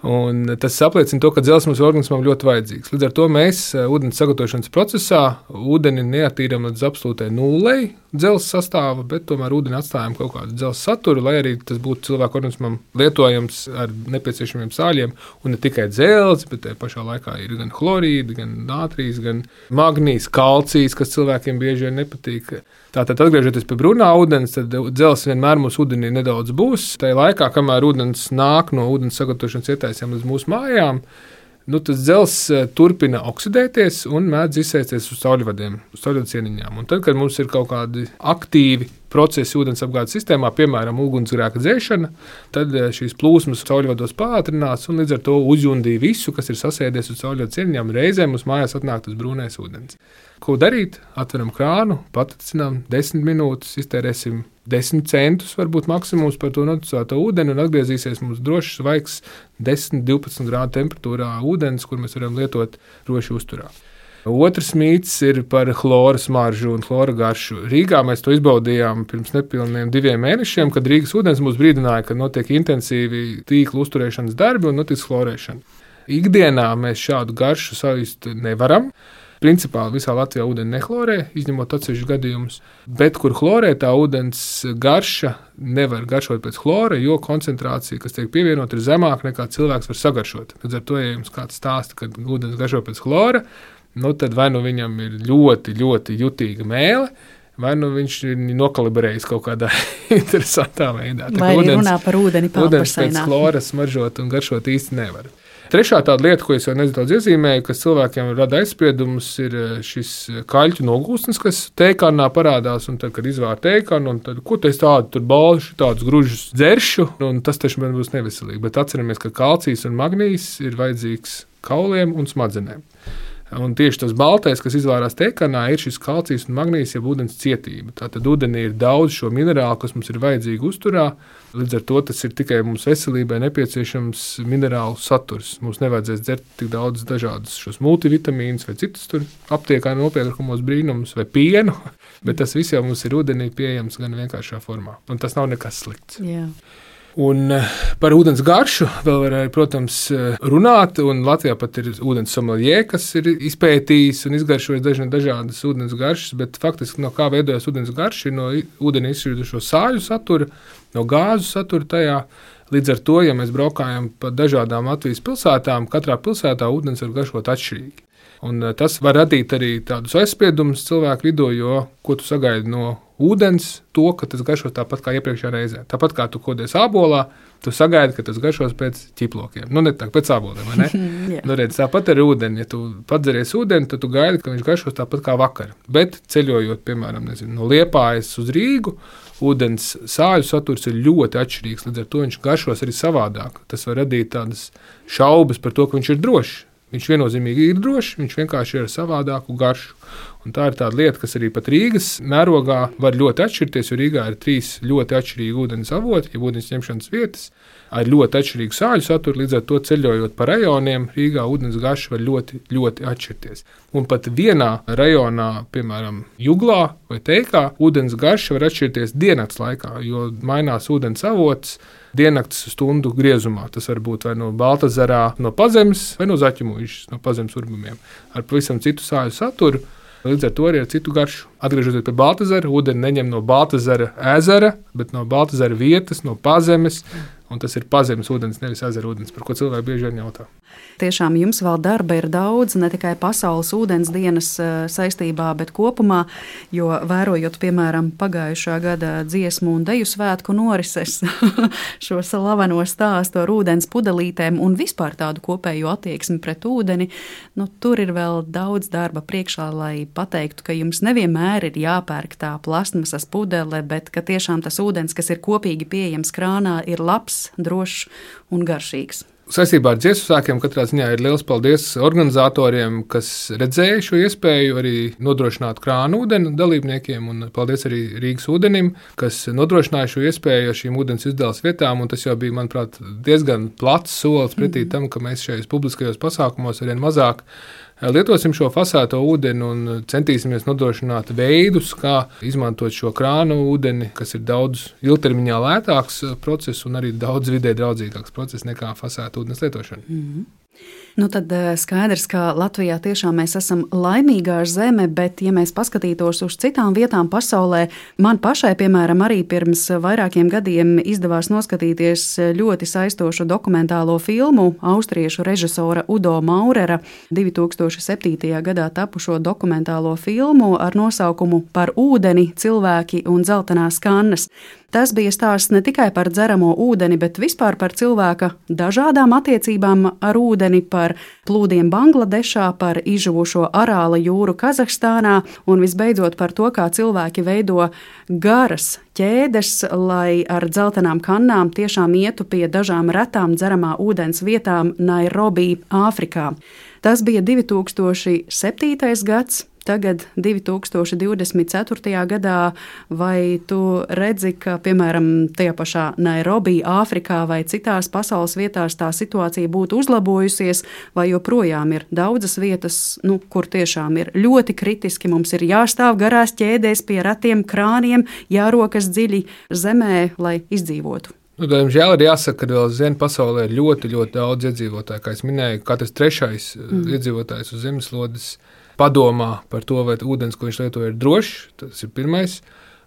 S6: Un tas apliecina to, ka dzelzs mums organismam ļoti vajadzīgs. Līdz ar to mēs ūdens sagatavošanas procesā ūdeni neatīram līdz absolūtai nullei dzelzs sastāva, bet tomēr ūdeni atstājam kaut kādu dzelzs saturu, lai arī tas būtu cilvēku organismam lietojams ar nepieciešamiem sāļiem. Un ne tikai dzelzs, bet tajā pašā laikā ir gan chlorīdi, gan nātrijs, gan magnijs, kalcijs, kas cilvēkiem bieži vien nepatīk. Tātad, atgriežoties pie brūnā ūdens, tad dzelzs vienmēr mūsu ūdenī nedaudz būs. Tajā laikā, kamēr ūdens nāk no ūdens sagatavošanas ietaisiem līdz mūsu mājām, tas dzelzs turpina oksidēties un mēdz izsēsties uz cauļvadiem, uz cauļvadu cieniņām. Un tad, kad mums ir kaut kādi aktīvi procesi ūdensapgādes sistēmā, piemēram, ugunsgrēka dzēšana, tad šīs plūsmas cauļvados pātrinās un līdz ar to uzjundīja visu, kas ir sasēdies uz cauļvadu cieniņām. Reizēm mums mājās atnāk tas brūnais ūdens. Ko darīt? Atveram krānu, patricinām 10 minūtes, iztērēsim 10 centus, varbūt maksimums par to noticēto ūdeni, un atgriezīsies mums drošs, svaigs 10-12 grādu temperatūrā ūdens, kur mēs varam lietot droši uzturā. Otrs mīts ir par chlora smaržu un chlora garšu. Rīgā mēs to izbaudījām pirms nepilniem 2 mēnešiem, kad Rīgas ūdens mūs brīdināja, ka notiek intensīvi tīklu uzturēšanas darbi un notiek chlorēšana. Ikdienā mēs šādu garšu sajust nevaram. Principā visā Latvijā ūdeni nechlorē, izņemot atsevišķus gadījumus, bet kur chlorē, tā ūdens garša nevar garšot pēc chlora, jo koncentrācija, kas tiek pievienota, ir zemāka nekā cilvēks var sagaršot. Līdz ar to, ja jums kāds stāsta, ka ūdens garšo pēc chlora, tad vai nu viņam ir ļoti, ļoti jutīga mēle, vai nu viņš ir nokalibrējis kaut kādā interesantā veidā.
S2: Vai arī runā par ūdeni
S6: pāpaseinā. Ūdens pēc chlora smaržot un garšot īsti nevar. Trešā tāda lieta, ko es jau nedaudz iezīmēju, kas cilvēkiem rada aizspriedumus, ir šis kaļķu nogūstnes, kas teikanā parādās, un tad, kad izvār teikanu, un tad, ko tu esi tādu, tur balšu, tādus gružus dzeršu, un tas taču man būs neveselīgi. Bet atceramies, ka kalcijs un magnijs ir vajadzīgs kauliem un smadzenēm. Un tieši tas baltais, kas izvārās teikanā, ir šis kalcijs un magnijs, jeb ūdens cietība. Tātad ūdenī ir daudz šo minerālu, kas mums ir vajadzīgi uzturā. Līdz ar to tas ir tikai mums veselībai nepieciešams minerālu saturs. Mums nevajadzēs dzert tik daudz dažādus šos multivitamīnus vai citus tur aptiekā nopērkumos brīnumus vai pienu, bet tas viss jau mums ir ūdenī pieejams gan vienkāršā formā. Un tas nav nekas slikts.
S2: Jā.
S6: Un par ūdens garšu vēl var, protams, runāt, un Latvijā pat ir ūdens sommelier, kas ir izpētījis un izgaršojis dažādas ūdens garšas, bet faktiski no kā veidojas ūdens garša ir no ūdeni izšķirdušo sāļu satura, no gāzu satura tajā. Līdz ar to, ja mēs braukājam pa dažādām Latvijas pilsētām, katrā pilsētā ūdens var garšot atšķirīgi. Un tas var radīt arī tādus aizspriedumus cilvēku vidū, jo ko tu sagaidi no ūdens, to, ka tas garšos tāpat kā iepriekšējā reizē. Tāpat kā tu kodies ābolā, tu sagaidi, ka tas garšos pēc ķiplokiem. Ne tā, pēc āboliem, vai ne? Redz, tāpat ar ūdeni. Ja tu padzeries ūdeni, tad tu gaidi, ka viņš garšos tāpat kā vakar. Bet ceļojot, piemēram, no Liepājas uz Rīgu, ūdens sāļu saturs ir ļoti atšķirīgs, līdz ar to viņš garšos arī savādāk. Tas var radīt tādas šaubas par to, ka viņš ir drošs. Viņš viennozīmīgi ir drošs, viņš vienkārši ir ar savādāku garšu. Un tā ir tāda lieta, kas arī pat Rīgas mērogā var ļoti atšķirties, jo Rīgā ir 3 ļoti atšķirīgi ūdens avoti, ja ūdens ņemšanas vietas, ar ļoti atšķirīgu sāļu saturu, līdz ar to ceļojot pa rajoniem, Rīgā ūdens garša var ļoti, ļoti atšķirties. Un pat vienā rajonā, piemēram, Juglā vai Teikā, ūdens garša var atšķirties diennakts laikā, jo mainās ūdens avots diennakts stundu griezumā. Tas var būt vai no Baltazarā, no Pazemes, vai no Zaķumuižas, no Pazemes urbumiem, ar pavisam citu sāļu saturu. Līdz ar to arī ar citu garšu. Atgriežoties pie Baltazara, ūdeni neņem no Baltazara ezera, bet no Baltazara vietas, no pazemes. Un tas ir pazemes ūdens, nevis ezera ūdens, par ko cilvēki bieži vien jautā.
S2: Tiešām jums vēl darba ir daudz, ne tikai Pasaules ūdens dienas saistībā, bet kopumā, jo vērojot, piemēram, pagājušā gada dziesmu un deju svētku norises, šo slaveno stāstu ar ūdens pudelītēm un vispār tādu kopēju attieksmi pret ūdeni, tur ir vēl daudz darba priekšā, lai pateiktu, ka jums nevienmēr ir jāpērk tā plastmasas pudele, bet ka tiešām tas ūdens, kas ir kopīgi pieejams krānā, ir labs, drošs un garšīgs.
S6: Saistībā ar dziesmu svētkiem katrā ziņā ir liels paldies organizatoriem, kas redzēja šo iespēju arī nodrošināt krānu ūdeni dalībniekiem, un paldies arī Rīgas ūdenim, kas nodrošināja šo iespēju ar šīm ūdens izdales vietām, un tas jau bija, manuprāt, diezgan plats solis pretī tam, ka mēs šajos publiskajos pasākumos arvien mazāk lietosim šo fasēto ūdeni un centīsimies nodrošināt veidus, kā izmantot šo krānu ūdeni, kas ir daudz ilgtermiņā lētāks process un arī daudz vidē draudzīgāks process nekā fasēta ūdens lietošana.
S2: Tad skaidrs, ka Latvijā tiešām mēs esam laimīgā zeme, bet, ja mēs paskatītos uz citām vietām pasaulē, man pašai, piemēram, arī pirms vairākiem gadiem izdevās noskatīties ļoti saistošu dokumentālo filmu austriešu režisora Udo Maurera 2007. gadā tapušo dokumentālo filmu ar nosaukumu Par ūdeni, cilvēki un dzeltenās kannas. Tas bija stāsts ne tikai par dzeramo ūdeni, bet vispār par cilvēka dažādām attiecībām ar ūdeni, par plūdiem Bangladešā, par izžuvušo Arāla jūru Kazahstānā un visbeidzot par to, kā cilvēki veido garas ķēdes, lai ar dzeltenām kannām tiešām ietu pie dažām retām dzeramā ūdens vietām Nairobi, Āfrikā. Tas bija 2007. gads. Tagad, 2024. gadā, vai tu redzi, ka, piemēram, tajā pašā Nairobi, Āfrikā vai citās pasaules vietās tā situācija būtu uzlabojusies, vai joprojām ir daudzas vietas, kur tiešām ir ļoti kritiski, mums ir jāstāv garās ķēdēs pie retiem krāniem, jārokas dziļi zemē, lai izdzīvotu?
S6: Diemžēl ir jāsaka, ka vēl zem pasaulē ir ļoti, ļoti daudz iedzīvotāju. Kā es minēju, katrs trešais iedzīvotājs uz zemeslodes padomā par to, vai ūdens, ko viņš lieto, ir drošs. Tas ir pirmais.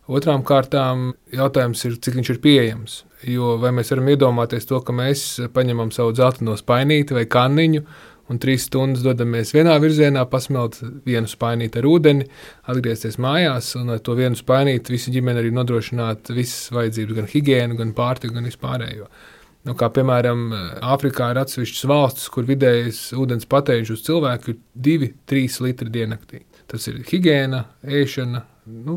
S6: Otrām kārtām jautājums ir, cik viņš ir pieejams. Jo vai mēs varam iedomāties to, ka mēs paņemam savu dzelteno spainīti vai kanniņu un 3 stundas dodamies vienā virzienā, pasmelt vienu spainīti ar ūdeni, atgriezties mājās un ar to vienu spainīti visu ģimeni arī nodrošināt visas vajadzības, gan higiēnu, gan pārtiku, gan vispārējo. Kā piemēram, Āfrikā ir atsevišķas valstis, kur vidējais ūdens patēriņš uz cilvēku ir 2-3 litri diennaktī. Tas ir higiēna, ēšana,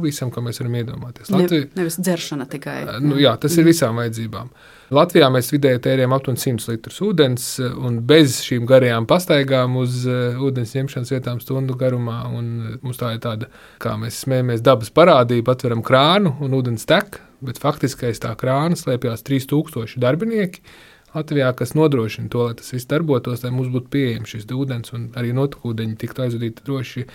S6: visam, ko mēs varam iedomāties.
S2: Nevis dzeršana tikai.
S6: Jā, tas ir visām vajadzībām. Latvijām mēs vidēji tērējam aptuveni 100 litrus ūdens, un bez šīm garajām pastaigām uz ūdens ņemšanas vietām stundu garumā, un mums tā ir tāda, kā mēs smējamies, dabas parādība, atveram krānu un ūdens tek, bet faktiski aiz tā krāna slēpjās 3000 darbinieki Latvijā, kas nodrošina to, lai tas viss darbotos, lai mums būtu pieejams šis ūdens un arī notekūdeņi tiktu aizvadīti droši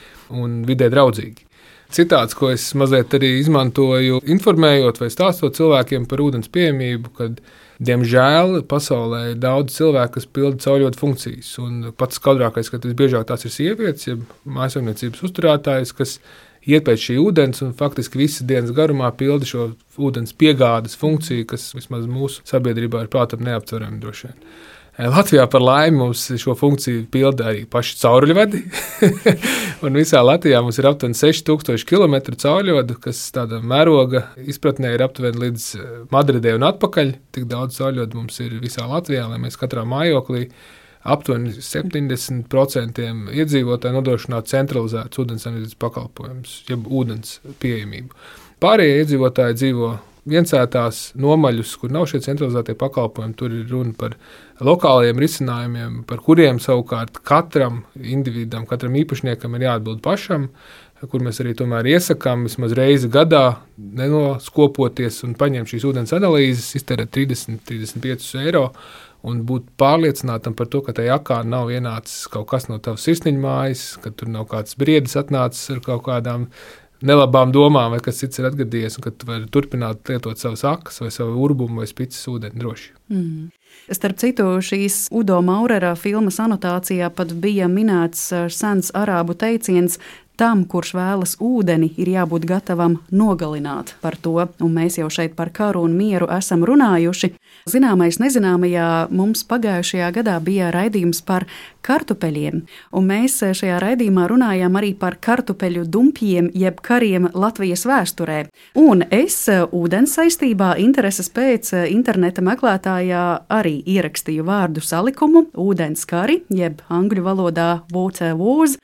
S6: un vidē draudzīgi. Citāts, ko es mazliet arī izmantoju, informējot vai stāstot cilvēkiem par ūdens pieejamību, kad, diemžēl, pasaulē ir daudz cilvēku, kas pilda cauļotu funkcijas. Un pats skaudrākais, ka visbiežāk tās ir sievietes, ja mājsaimniecības uzturētājas, kas iet pēc šī ūdens un faktiski visas dienas garumā pilda šo ūdens piegādes funkciju, kas vismaz mūsu sabiedrībā ir prātam neaptverami droši vien. Latvijā par laimi mums šo funkciju pilda arī paši cauruļvadi. Un visā Latvijā mums ir aptuveni 6000 km cauruļvadu, kas tāda mēroga izpratnē ir aptuveni līdz Madridē un atpakaļ. Tik daudz cauruļvadu mums ir visā Latvijā, lai mēs katrā mājoklī aptuveni 70% iedzīvotāji nodrošinātu centralizētus ūdensapniecības pakalpojumus, jeb ūdens pieejamību. Pārējie iedzīvotāji dzīvo viensētās nomaļus, kur nav šie centralizētie pakalpojumi. Tur ir runa par lokālajiem risinājumiem, par kuriem savukārt katram individam, katram īpašniekam ir jāatbild pašam, kur mēs arī tomēr iesakām vismaz reizi gadā nenoskopoties un paņemt šīs ūdens analīzes, iztērēt 30-35 eiro un būt pārliecinātam par to, ka tajā akā nav ienācis kaut kas no tavas sirsniņa mājas, ka tur nav kāds briedis atnācis ar kaut kādām nelabām domām, vai kas cits ir atgadījies, un ka tu vari turpināt lietot savas akas vai savu urbumu vai spicas ūdeni droši.
S2: Starp citu, šīs Udo Maurera filmas anotācijā pat bija minēts sens arābu teiciens tam, kurš vēlas ūdeni, ir jābūt gatavam nogalināt par to, un mēs jau šeit par karu un mieru esam runājuši. Zināmais nezināmajā mums pagājušajā gadā bija raidījums par kartupeļiem, un mēs šajā raidījumā runājām arī par kartupeļu dumpjiem, jeb kariem Latvijas vēsturē. Un es ūdens saistībā intereses pēc interneta meklētājā arī ierakstīju vārdu salikumu ūdens kari, jeb angļu valodā water wars.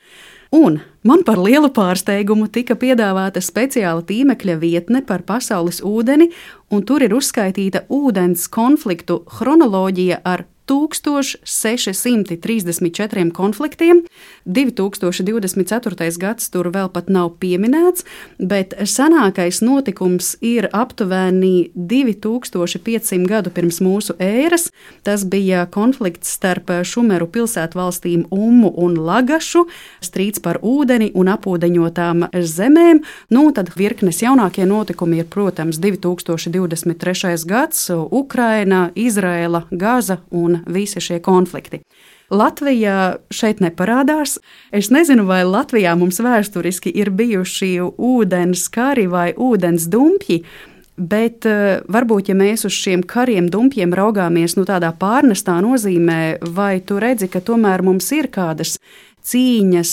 S2: Un man par lielu pārsteigumu tika piedāvāta speciāla tīmekļa vietne par pasaules ūdeni, un tur ir uzskaitīta ūdens konfliktu chronoloģija ar 1634 konfliktiem. 2024. gads tur vēl pat nav pieminēts, bet senākais notikums ir aptuveni 2500 gadu pirms mūsu ēras. Tas bija konflikts starp Šumeru pilsētvalstīm Ummu un Lagašu, strīds par ūdeni un apūdeņotām zemēm. Tad virknes jaunākie notikumi ir, protams, 2023. gads, Ukraina, Izraela, Gaza un visi šie konflikti. Latvija šeit neparādās. Es nezinu, vai Latvijā mums vēsturiski ir bijuši ūdens kari vai ūdens dumpji, bet varbūt, ja mēs uz šiem kariem, dumpjiem raugāmies tādā pārnestā nozīmē, vai tu redzi, ka tomēr mums ir kādas cīņas,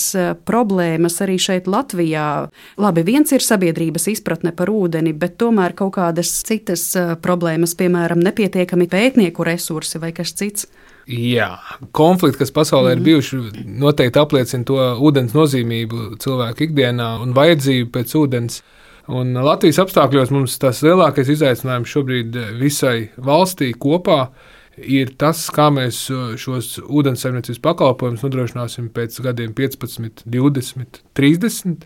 S2: problēmas arī šeit Latvijā. Labi, viens ir sabiedrības izpratne par ūdeni, bet tomēr kaut kādas citas problēmas, piemēram, nepietiekami pētnieku resursi vai kas cits.
S6: Jā, konflikti, kas pasaulē ir bijuši, noteikti apliecina to ūdens nozīmību cilvēku ikdienā un vajadzību pēc ūdens. Un Latvijas apstākļos mums tas lielākais izaicinājums šobrīd visai valstī kopā ir tas, kā mēs šos ūdenssaimniecības pakalpojumus nodrošināsim pēc gadiem 15, 20, 30.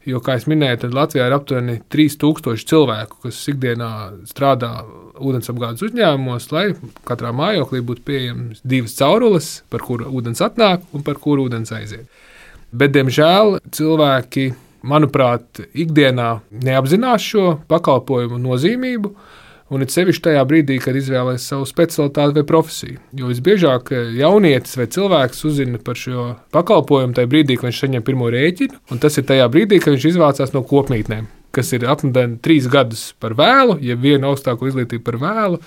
S6: Jo, kā es minēju, tad Latvijā ir aptuveni 3000 cilvēku, kas ikdienā strādā ūdensapgādes uzņēmumos, lai katrā mājoklī būtu pieejamas 2 caurules, par kuru ūdens atnāk un par kuru ūdens aiziet. Bet, diemžēl, cilvēki, manuprāt, ikdienā neapzinās šo pakalpojumu nozīmību, un it sevišķi tajā brīdī, kad izvēlēs savu specialitāti vai profesiju. Jo visbiežāk jaunietis vai cilvēks uzzina par šo pakalpojumu tajā brīdī, kad viņš saņem pirmo rēķinu, un tas ir tajā brīdī, kad viņš izvācās no kopmītnēm, kas ir apmēram 3 gadus par vēlu, ja vienu augstāko izglītību par vēlu,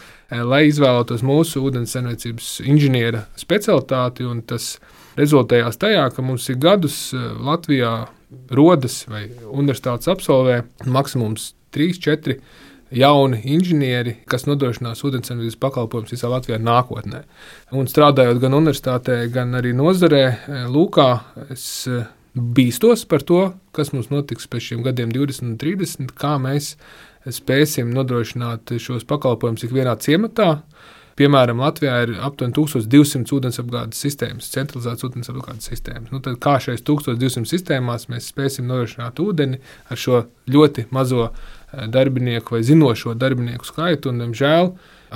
S6: lai izvēlētos mūsu ūdenssaimniecības inženiera specialitāti, un tas rezultējās tajā, ka mums ir gadus Latvijā rodas vai universitātes absolvē maksimums 3-4 jauni inženieri, kas nodrošinās ūdenssaimniecības pakalpojumus visā Latvijā nākotnē. Un strādājot gan universitātē, gan arī nozarē, Lūkā, es bīstos par to, kas mums notiks pēc šiem gadiem 20 un 30, kā mēs spēsim nodrošināt šos pakalpojumus ikvienā ciematā. Piemēram, Latvijā ir aptuveni 1200 ūdensapgādes sistēmas, centralizētas ūdensapgādes sistēmas. Tad kā šajās 1200 sistēmās mēs spēsim nodrošināt ūdeni ar šo ļoti mazo darbinieku vai zinošo darbinieku skaitu, un, diemžēl,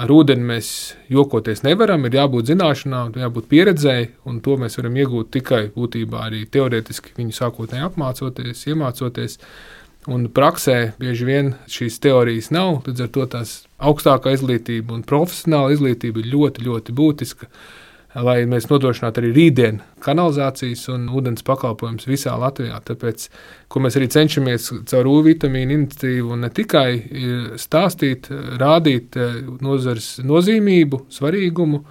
S6: ar ūdeni mēs jokoties nevaram, ir jābūt zināšanām, jābūt pieredzēji, un to mēs varam iegūt tikai būtībā arī teorētiski viņu sākotnēji apmācoties, iemācoties. Un praksē bieži vien šīs teorijas nav, līdz ar to tās augstākā izglītība un profesionāla izglītība ir ļoti, ļoti būtiska, lai mēs nodrošinātu arī rītdienu kanalizācijas un ūdens pakalpojumus visā Latvijā. Tāpēc, ko mēs arī cenšamies caur U-vitamīnu iniciatīvu un ne tikai stāstīt, rādīt nozares nozīmību, svarīgumu,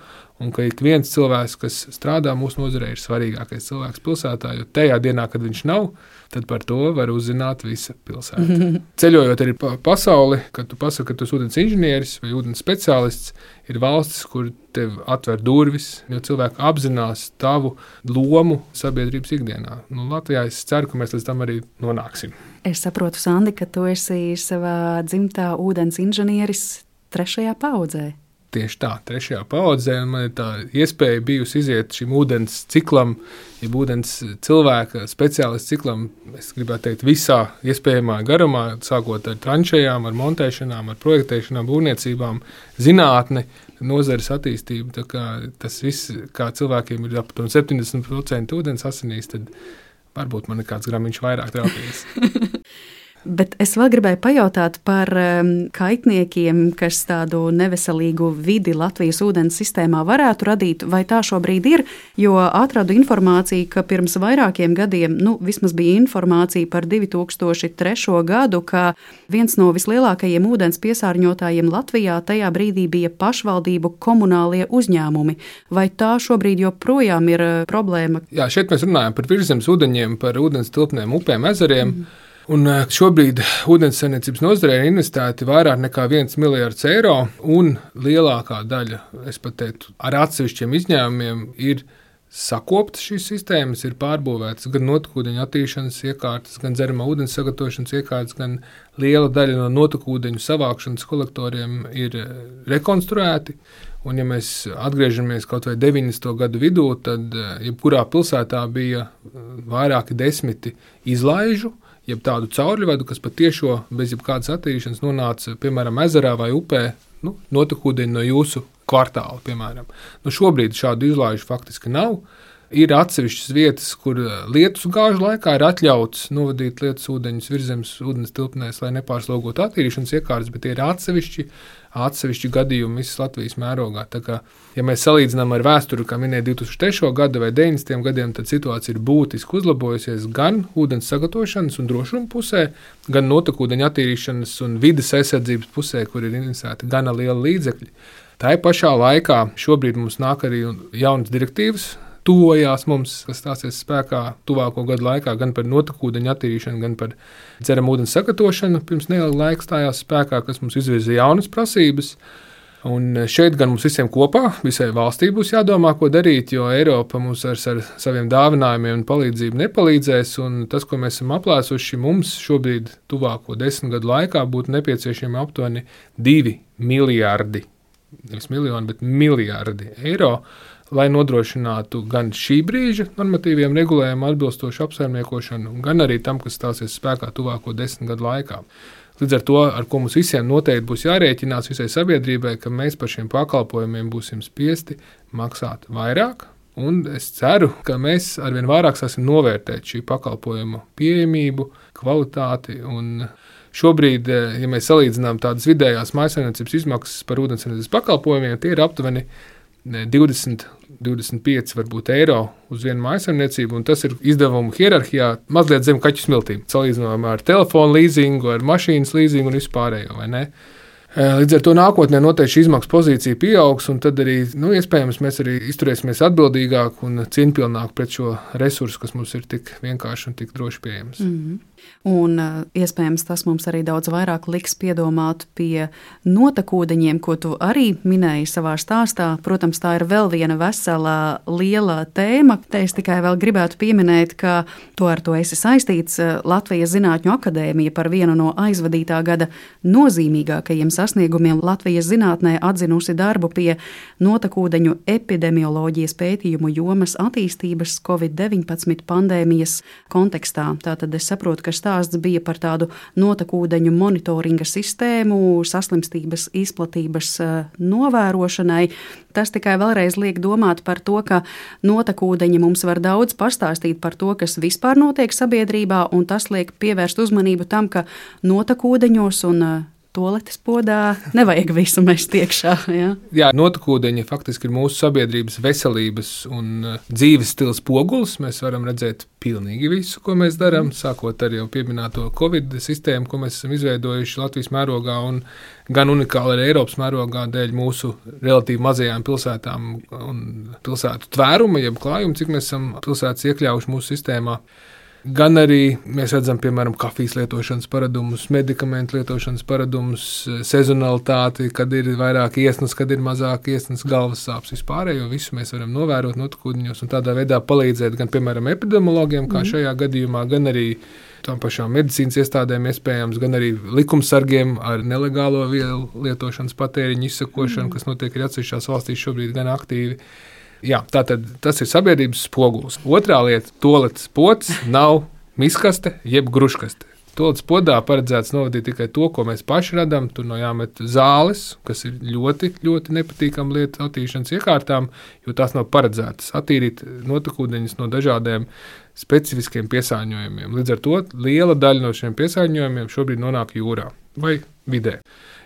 S6: un ka ik viens cilvēks, kas strādā mūsu nozarē, ir svarīgākais cilvēks pilsētā, jo tajā dienā, kad viņš nav, tad par to var uzzināt visa pilsēta. Ceļojot arī pa pasauli, kad tu pasaki, ka tu esi ūdens inženieris vai ūdens speciālists, ir valstis, kur tev atver durvis, jo cilvēki apzinās tavu lomu sabiedrības ikdienā. Latvijā es ceru, ka mēs līdz tam arī nonāksim.
S2: Es saprotu, Sandi, ka tu esi savā dzimtā ūdens inženieris 3. paudzē.
S6: Tieši tā, 3. paudzē, un man ir tā iespēja bijusi iziet šim ūdens ciklam, ja ūdens cilvēka speciālistu ciklam, es gribētu teikt, visā iespējamā garumā, sākot ar tranšējām, ar montēšanām, ar projektēšanām, būvniecībām, zinātni, nozares attīstību. Tā kā tas viss, kā cilvēkiem ir aptuveni 70% ūdens asinīs, tad varbūt man ir kāds gramiņš vairāk trāpījis.
S2: Bet es vēl gribēju pajautāt par kaitniekiem, kas tādu neveselīgu vidi Latvijas ūdens sistēmā varētu radīt, vai tā šobrīd ir, jo atradu informāciju, ka pirms vairākiem gadiem, vismaz bija informācija par 2003. Gadu, ka viens no vislielākajiem ūdens piesārņotājiem Latvijā tajā brīdī bija pašvaldību komunālie uzņēmumi. Vai tā šobrīd joprojām ir problēma?
S6: Jā, šeit mēs runājam par virszemes ūdeņiem, par ūdens tilpnēm, upēm, ezeriem. Un šobrīd ūdenssaimniecības nozarē ir investēti vairāk nekā 1 miljards eiro, un lielākā daļa, es pat teiktu, ar atsevišķiem izņēmumiem ir sakoptas šīs sistēmas, ir pārbūvētas gan notekūdeņu attīrīšanas iekārtas, gan dzeramā ūdens sagatavošanas iekārtas, gan liela daļa no notekūdeņu savākšanas kolektoriem ir rekonstruēti. Un, ja mēs atgriežamies kaut vai 90. gadu vidū, tad jebkurā pilsētā bija vairāki 10 izlaižu, jeb tādu caurļvedu, kas pat tiešo bez jebkādas attīrīšanas nonāca, piemēram, ezerā vai upē, notekūdeņi no jūsu kvartāla, piemēram. Šobrīd šādu izlaižu faktiski nav. Ir atsevišķas vietas, kur lietus gāžu laikā ir atļauts novadīt lietus ūdeņus virzemes ūdens tilpnēs, lai nepārslogotu attīrīšanas iekārtas, bet tie ir atsevišķi gadījumi visas Latvijas mērogā. Tā kā, ja mēs salīdzinām ar vēsturi, kā minēja 2003. Gada vai 90. gadiem, tad situācija ir būtiski uzlabojusies gan ūdens sagatavošanas un drošuma pusē, gan notekūdeņu attīrīšanas un vides aizsardzības pusē, kur ir investēti gana liela līdzekļi. Tā pašā laikā šobrīd mums nāk arī jaunas direktīvas, tuvojās mums, kas stāsies spēkā tuvāko gadu laikā, gan par notekūdeņu attīrīšanu, gan par dzeramu ūdens sagatavošanu. Pirms neilga laika stājās spēkā, kas mums izvirza jaunas prasības. Un šeit gan mums visiem kopā, visai valstī būs jādomā, ko darīt, jo Eiropa mums ar saviem dāvinājumiem un palīdzību nepalīdzēs. Un tas, ko mēs esam aplēsuši, mums šobrīd tuvāko 10 gadu laikā būtu nepieciešami aptuveni 2 miljardi, nevis miljoni, bet miljardi eiro, lai nodrošinātu gan šī brīža normatīviem regulējumiem atbilstošu apsaimniekošanu, gan arī tam, kas stāsies spēkā tuvāko 10 gadu laikā. Līdz ar to, ar ko mums visiem noteikti būs jārēķinās visai sabiedrībai, ka mēs par šiem pakalpojumiem būsim spiesti maksāt vairāk, un es ceru, ka mēs arvien vairāk sāksim novērtēt šī pakalpojuma pieejamību, kvalitāti un šobrīd, ja mēs salīdzinām tādas vidējās mājsaimniecības izmaksas par ūdenssaimniecības pakalpojumiem, tie ir aptuveni 20-25 varbūt eiro uz vienu mājsaimniecību, un tas ir izdevumu hierarhijā mazliet zem kaķu smiltīm. Salīdzinājumā ar telefonu līzingu, ar mašīnas līzingu un vispārējo, vai ne? Līdz ar to nākotnē noteikti šī izmaksu pozīcija pieaugs, un tad arī, iespējams, mēs arī izturēsimies atbildīgāk un cieņpilnāk pret šo resursu, kas mums ir tik vienkārši un tik droši pieejams.
S2: Un iespējams tas mums arī daudz vairāk liks piedomāt pie notekūdeņiem, ko tu arī minēji savā stāstā. Protams, tā ir vēl viena vesela liela tēma. Te es tikai vēl gribētu pieminēt, ka ar to esi saistīts. Latvijas Zinātņu akadēmija par vienu no aizvadītā gada nozīmīgākajiem sasniegumiem Latvijas zinātnē atzinusi darbu pie notekūdeņu epidemioloģijas pētījumu jomas attīstības Covid-19 pandēmijas kontekstā. Tātad es saprotu, ka stāsts bija par tādu notekūdeņu monitoringa sistēmu, saslimstības izplatības novērošanai. Tas tikai vēlreiz liek domāt par to, ka notekūdeņi mums var daudz pastāstīt par to, kas vispār notiek sabiedrībā, un tas liek pievērst uzmanību tam, ka notekūdeņos un toaletes podā nevajag visu mest iekšā. Ja?
S6: Jā, notekūdeņi faktiski ir mūsu sabiedrības veselības un dzīves stila spogulis. Mēs varam redzēt pilnīgi visu, ko mēs darām, sākot ar jau pieminēto Covid sistēmu, ko mēs esam izveidojuši Latvijas mērogā un gan unikāli arī Eiropas mērogā dēļ mūsu relatīvi mazajām pilsētām un pilsētu tvēruma, jeb klājuma, cik mēs esam pilsētas iekļaujuši mūsu sistēmā. Gan arī mēs redzam, piemēram, kafijas lietošanas paradumus, medikamentu lietošanas paradumus, sezonalitāti, kad ir vairāk iesnas, kad ir mazāk iesnas, galvas sāpes vispārējo. Visu mēs varam novērot notekūdeņos un tādā veidā palīdzēt gan, piemēram, epidemiologiem, kā šajā gadījumā, gan arī tām pašām medicīnas iestādēm iespējams, gan arī likumsargiem ar nelegālo vielu lietošanas patēriņu izsakošanu, kas notiek arī atsevišķās valstīs šobrīd gan aktīvi. Jā, tātad tas ir sabiedrības spogulis. Otrā lieta – toaletes pods nav miskaste jeb gruškaste. Tolts podā paredzēts novadīt tikai to, ko mēs paši radām. Tur no jāmet zāles, kas ir ļoti, ļoti nepatīkama lieta attīrīšanas iekārtām, jo tās nav paredzētas attīrīt notekūdeņus no dažādiem specifiskiem piesārņojumiem. Līdz ar to liela daļa no šiem piesārņojumiem šobrīd nonāk jūrā vai vidē.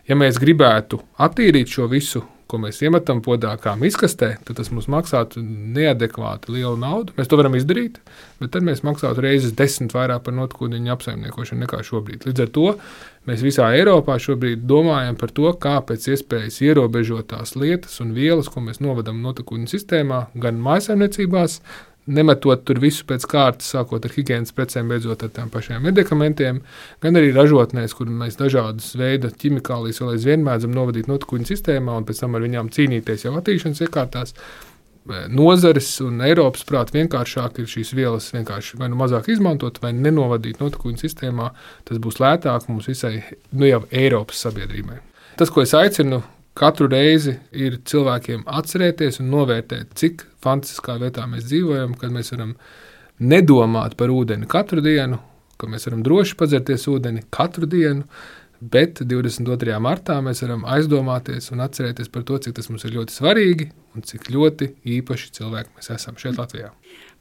S6: Ja mēs gribētu attīrīt šo visu, ko mēs iemetam podā kā miskastē, tad tas mums maksātu neadekvāti lielu naudu. Mēs to varam izdarīt, bet tad mēs maksātu reizes 10 vairāk par notekūdeņu apsaimniekošanu nekā šobrīd. Līdz ar to mēs visā Eiropā šobrīd domājam par to, kā pēc iespējas ierobežot tās lietas un vielas, ko mēs novadam notekūdeņu sistēmā, gan mājsaimniecībās, nemetot tur visu pēc kārtas, sākot ar higienas precēm, beidzot ar tām pašiem medikamentiem, gan arī ražotnēs, kur mēs dažādas veida ķimikālijas vēl aizvien mēdzam novadīt notekūdeņu sistēmā un pēc tam ar viņām cīnīties jau attīrīšanas iekārtās. Nozares un Eiropas prāt vienkāršāk ir šīs vielas vienkārši vai nu mazāk izmantot, vai nenovadīt notekūdeņu sistēmā. Tas būs lētāk mums visai, jau Eiropas sabiedrībai. Tas, ko es aicinu, katru reizi ir cilvēkiem atcerēties un novērtēt, cik fantastiskā vietā mēs dzīvojam, kad mēs varam nedomāt par ūdeni katru dienu, ka mēs varam droši padzerties ūdeni katru dienu, bet 22. martā mēs varam aizdomāties un atcerēties par to, cik tas mums ir ļoti svarīgi un cik ļoti īpaši cilvēki mēs esam šeit Latvijā.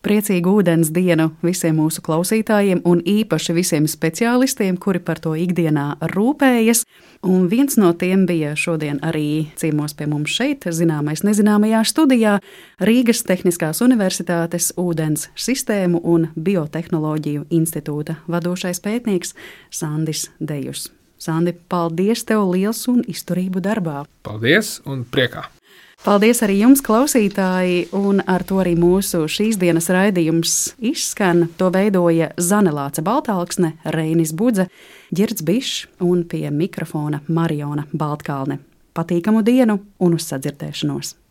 S2: Priecīgu ūdens dienu visiem mūsu klausītājiem un īpaši visiem speciālistiem, kuri par to ikdienā rūpējas. Un viens no tiem bija šodien arī ciemos pie mums šeit, zināmais nezināmajā studijā, Rīgas Tehniskās Universitātes ūdens sistēmu un biotehnoloģiju institūta vadošais pētnieks Sandis Dejus. Sandi, paldies tev liels un izturību darbā!
S6: Paldies un priekā!
S2: Paldies arī jums, klausītāji, un ar to arī mūsu šīs dienas raidījums izskan. To veidoja Zane Lāce Baltāksne, Reinis Budze, Ģirds Bišs un pie mikrofona Mariona Baltkalne. Patīkamu dienu un uz sadzirdēšanos!